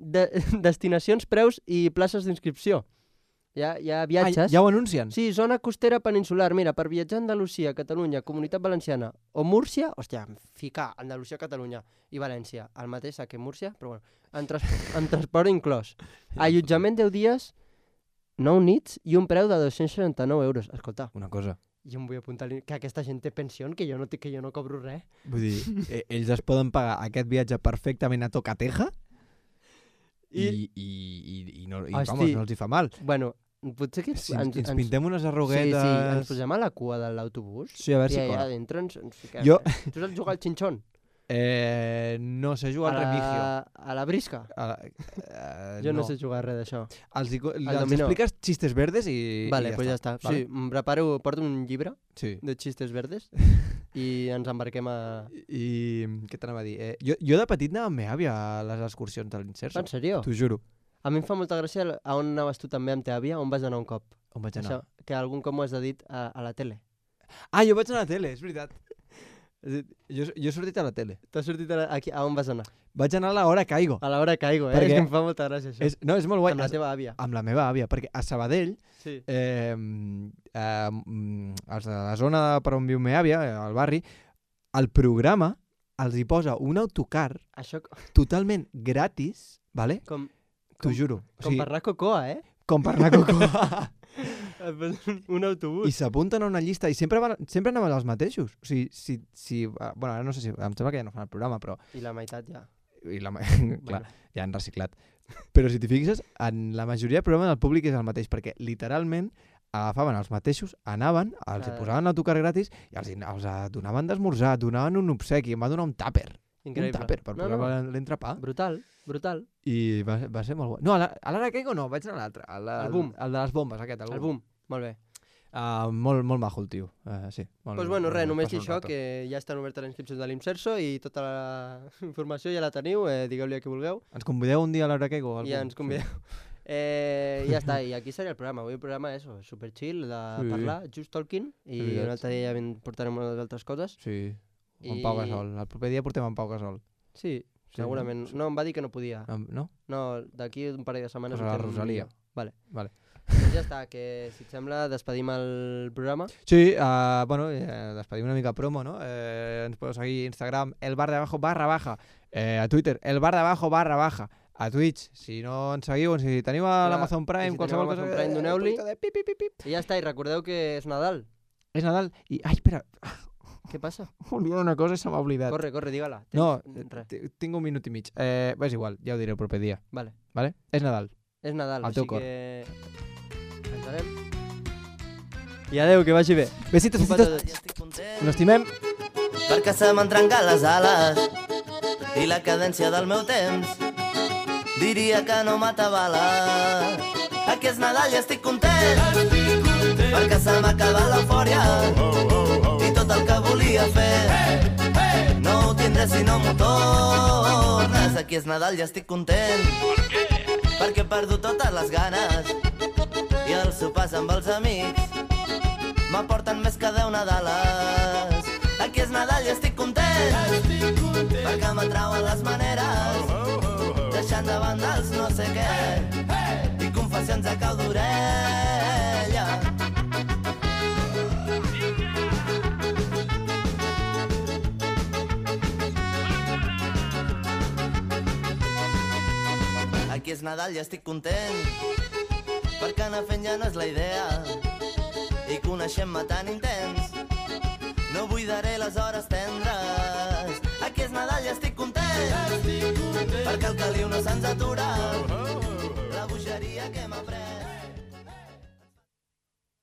De, destinacions, preus i places d'inscripció. Hi ha, hi ha viatges... Ah, ja ho anuncien? Sí, zona costera peninsular. Mira, per viatjar a Andalusia, Catalunya, Comunitat Valenciana o Múrcia, hòstia, ficar Andalusia, Catalunya i València, el mateix que Múrcia, però bueno, en, trans en transport inclòs. Allotjament deu dies, nou nits i un preu de dos-cents seixanta-nou euros. Escolta, Una cosa, jo em vull apuntar que aquesta gent té pensió, que jo no, té, que jo no cobro res. vull dir, eh, ells es poden pagar aquest viatge perfectament a tocateja i, I- i, i, i, no, i Hosti. vamos, no els hi fa mal. Bueno, potser que Si ens, ens pintem unes arruguetes... Sí, sí, ens posem a la cua de l'autobús. Sí, a veure I si allà cola. dintre ens, ens fiquem. Jo- Tu saps jugar al xinxón? Eh, no sé jugar a, al la, remigio. a la brisca? A la, eh, Jo no. no sé jugar res d'això. Els, hi co- els dominó. expliques xistes verdes i, Vale, i ja pues ja està. està. Vale? Sí, em preparo, porto un llibre Sí. de xistes verdes i ens embarquem a... I què t'anava a dir? Eh, jo, jo de petit anava amb meva àvia a les excursions de l'Inserso. En sèrio? T'ho juro. A mi em fa molta gràcia el- a on anaves tu també amb teva àvia, on vas anar un cop. On vaig anar? Això, que algun cop m'ho has de dit a, a la tele. Ah, jo vaig anar a la tele, és veritat. És a dir, Jo, jo he sortit a la tele. T'has sortit a, la, aquí, a on vas anar? Vaig anar a l'hora Caigo. A l'hora caigo, eh? Perquè És que em fa molta gràcia això. És, no, és molt guai. Amb la Es- teva àvia. amb la meva àvia, perquè a Sabadell, Sí. eh, eh, mm, els de la zona de per on viu meva àvia, eh, al barri, el programa els hi posa un autocar Això totalment gratis, vale? com, T'ho com, juro. O com sigui, per anar a Cocoa, eh? com per anar a Cocoa. Et posen un autobús. I s'apunten a una llista i sempre, van, sempre anaven els mateixos. O sigui, si, si, ah, bueno, ara no sé si, em sembla que ja no fan el programa, però I la meitat ja. i la, ma- clar, ja han reciclat. Però si t'hi fixes, en la majoria de programes el públic és el mateix, perquè literalment agafaven els mateixos, anaven, els hi Clar. posaven l'autocar gratis i els, hi- els eh, donaven d'esmorzar, donaven un obsequi, em va donar un tàper. Increïble. Un tàper per no, posar no. l'entrepà. Brutal, brutal. I va, va ser molt guai. No, a la- a l'Ara Caigo no, vaig anar a l'altre. al- Al al- Boom. El de les bombes, aquest. El boom. Molt bé. Uh, molt, molt majo el tio. Uh, sí, molt, Doncs pues bueno, res, molt- només passa dir un això, rato. que ja estan obertes les inscripcions de l'Imserso i tota la informació ja la teniu, eh, digueu-li a qui vulgueu Ens convideu un dia a l'Ara Caigo? i ja ens convideu. Eh, ja està, i aquí seria el programa. Avui el programa és eso, super chill, de Sí. parlar, just talking, i És veritat. un altre dia ja vin- portarem unes altres coses. Sí, amb I- Pau Gasol. El proper dia portem en Pau Gasol. Sí, segurament. No, em va dir que no podia. No? No, d'aquí un parell de setmanes... Pues a la Rosalia. Vale. Vale. Doncs ja està, que si et sembla despedim el programa. Sí, uh, bueno, eh, despedim una mica promo, no? Eh, ens podeu seguir a Instagram, el bar de abajo barra baja, eh, a Twitter, el bar de abajo barra baja, a Twitch, si no ens seguiu, si teniu a l'Amazon Prime, si qualsevol teniu cosa... Amazon Prime, doneu-li. Eh, pip, pip, pip, pip. I ja està, i recordeu que és Nadal. És Nadal i... Ai, espera, Què passa? m'he una cosa i se m'ha oblidat. Corre, corre, digue-la. No, Res. t- tinc un minut i mig. Eh, és igual, ja ho diré el proper dia. Vale. Vale? És Nadal. És Nadal, Al teu així cor. que... Ens anem. I adeu, que vagi bé. Besitos, Un petó. besitos. Us estimem. Perquè se m'han trencat les ales i la cadència del meu temps diria que no m'atabala. Aquí és Nadal i estic content, perquè se m'ha acabat l'eufòria i tot el que volia fer no ho tindré si no m'ho tornes. Aquí és Nadal i estic content, perquè he perdut totes les ganes i els sopars amb els amics m'aporten més que deu Nadales. Aquí és Nadal i estic content, perquè m'atrauen les maneres, deixant de banda els no sé què i confessions a cau d'orella. Aquí és Nadal i estic content, perquè anar fent ja no és la idea i coneixent-me tan intens no buidaré les hores tendres. Aquí és Nadal i estic content, perquè el caliu no se'ns atura, la bogeria que m'ha pres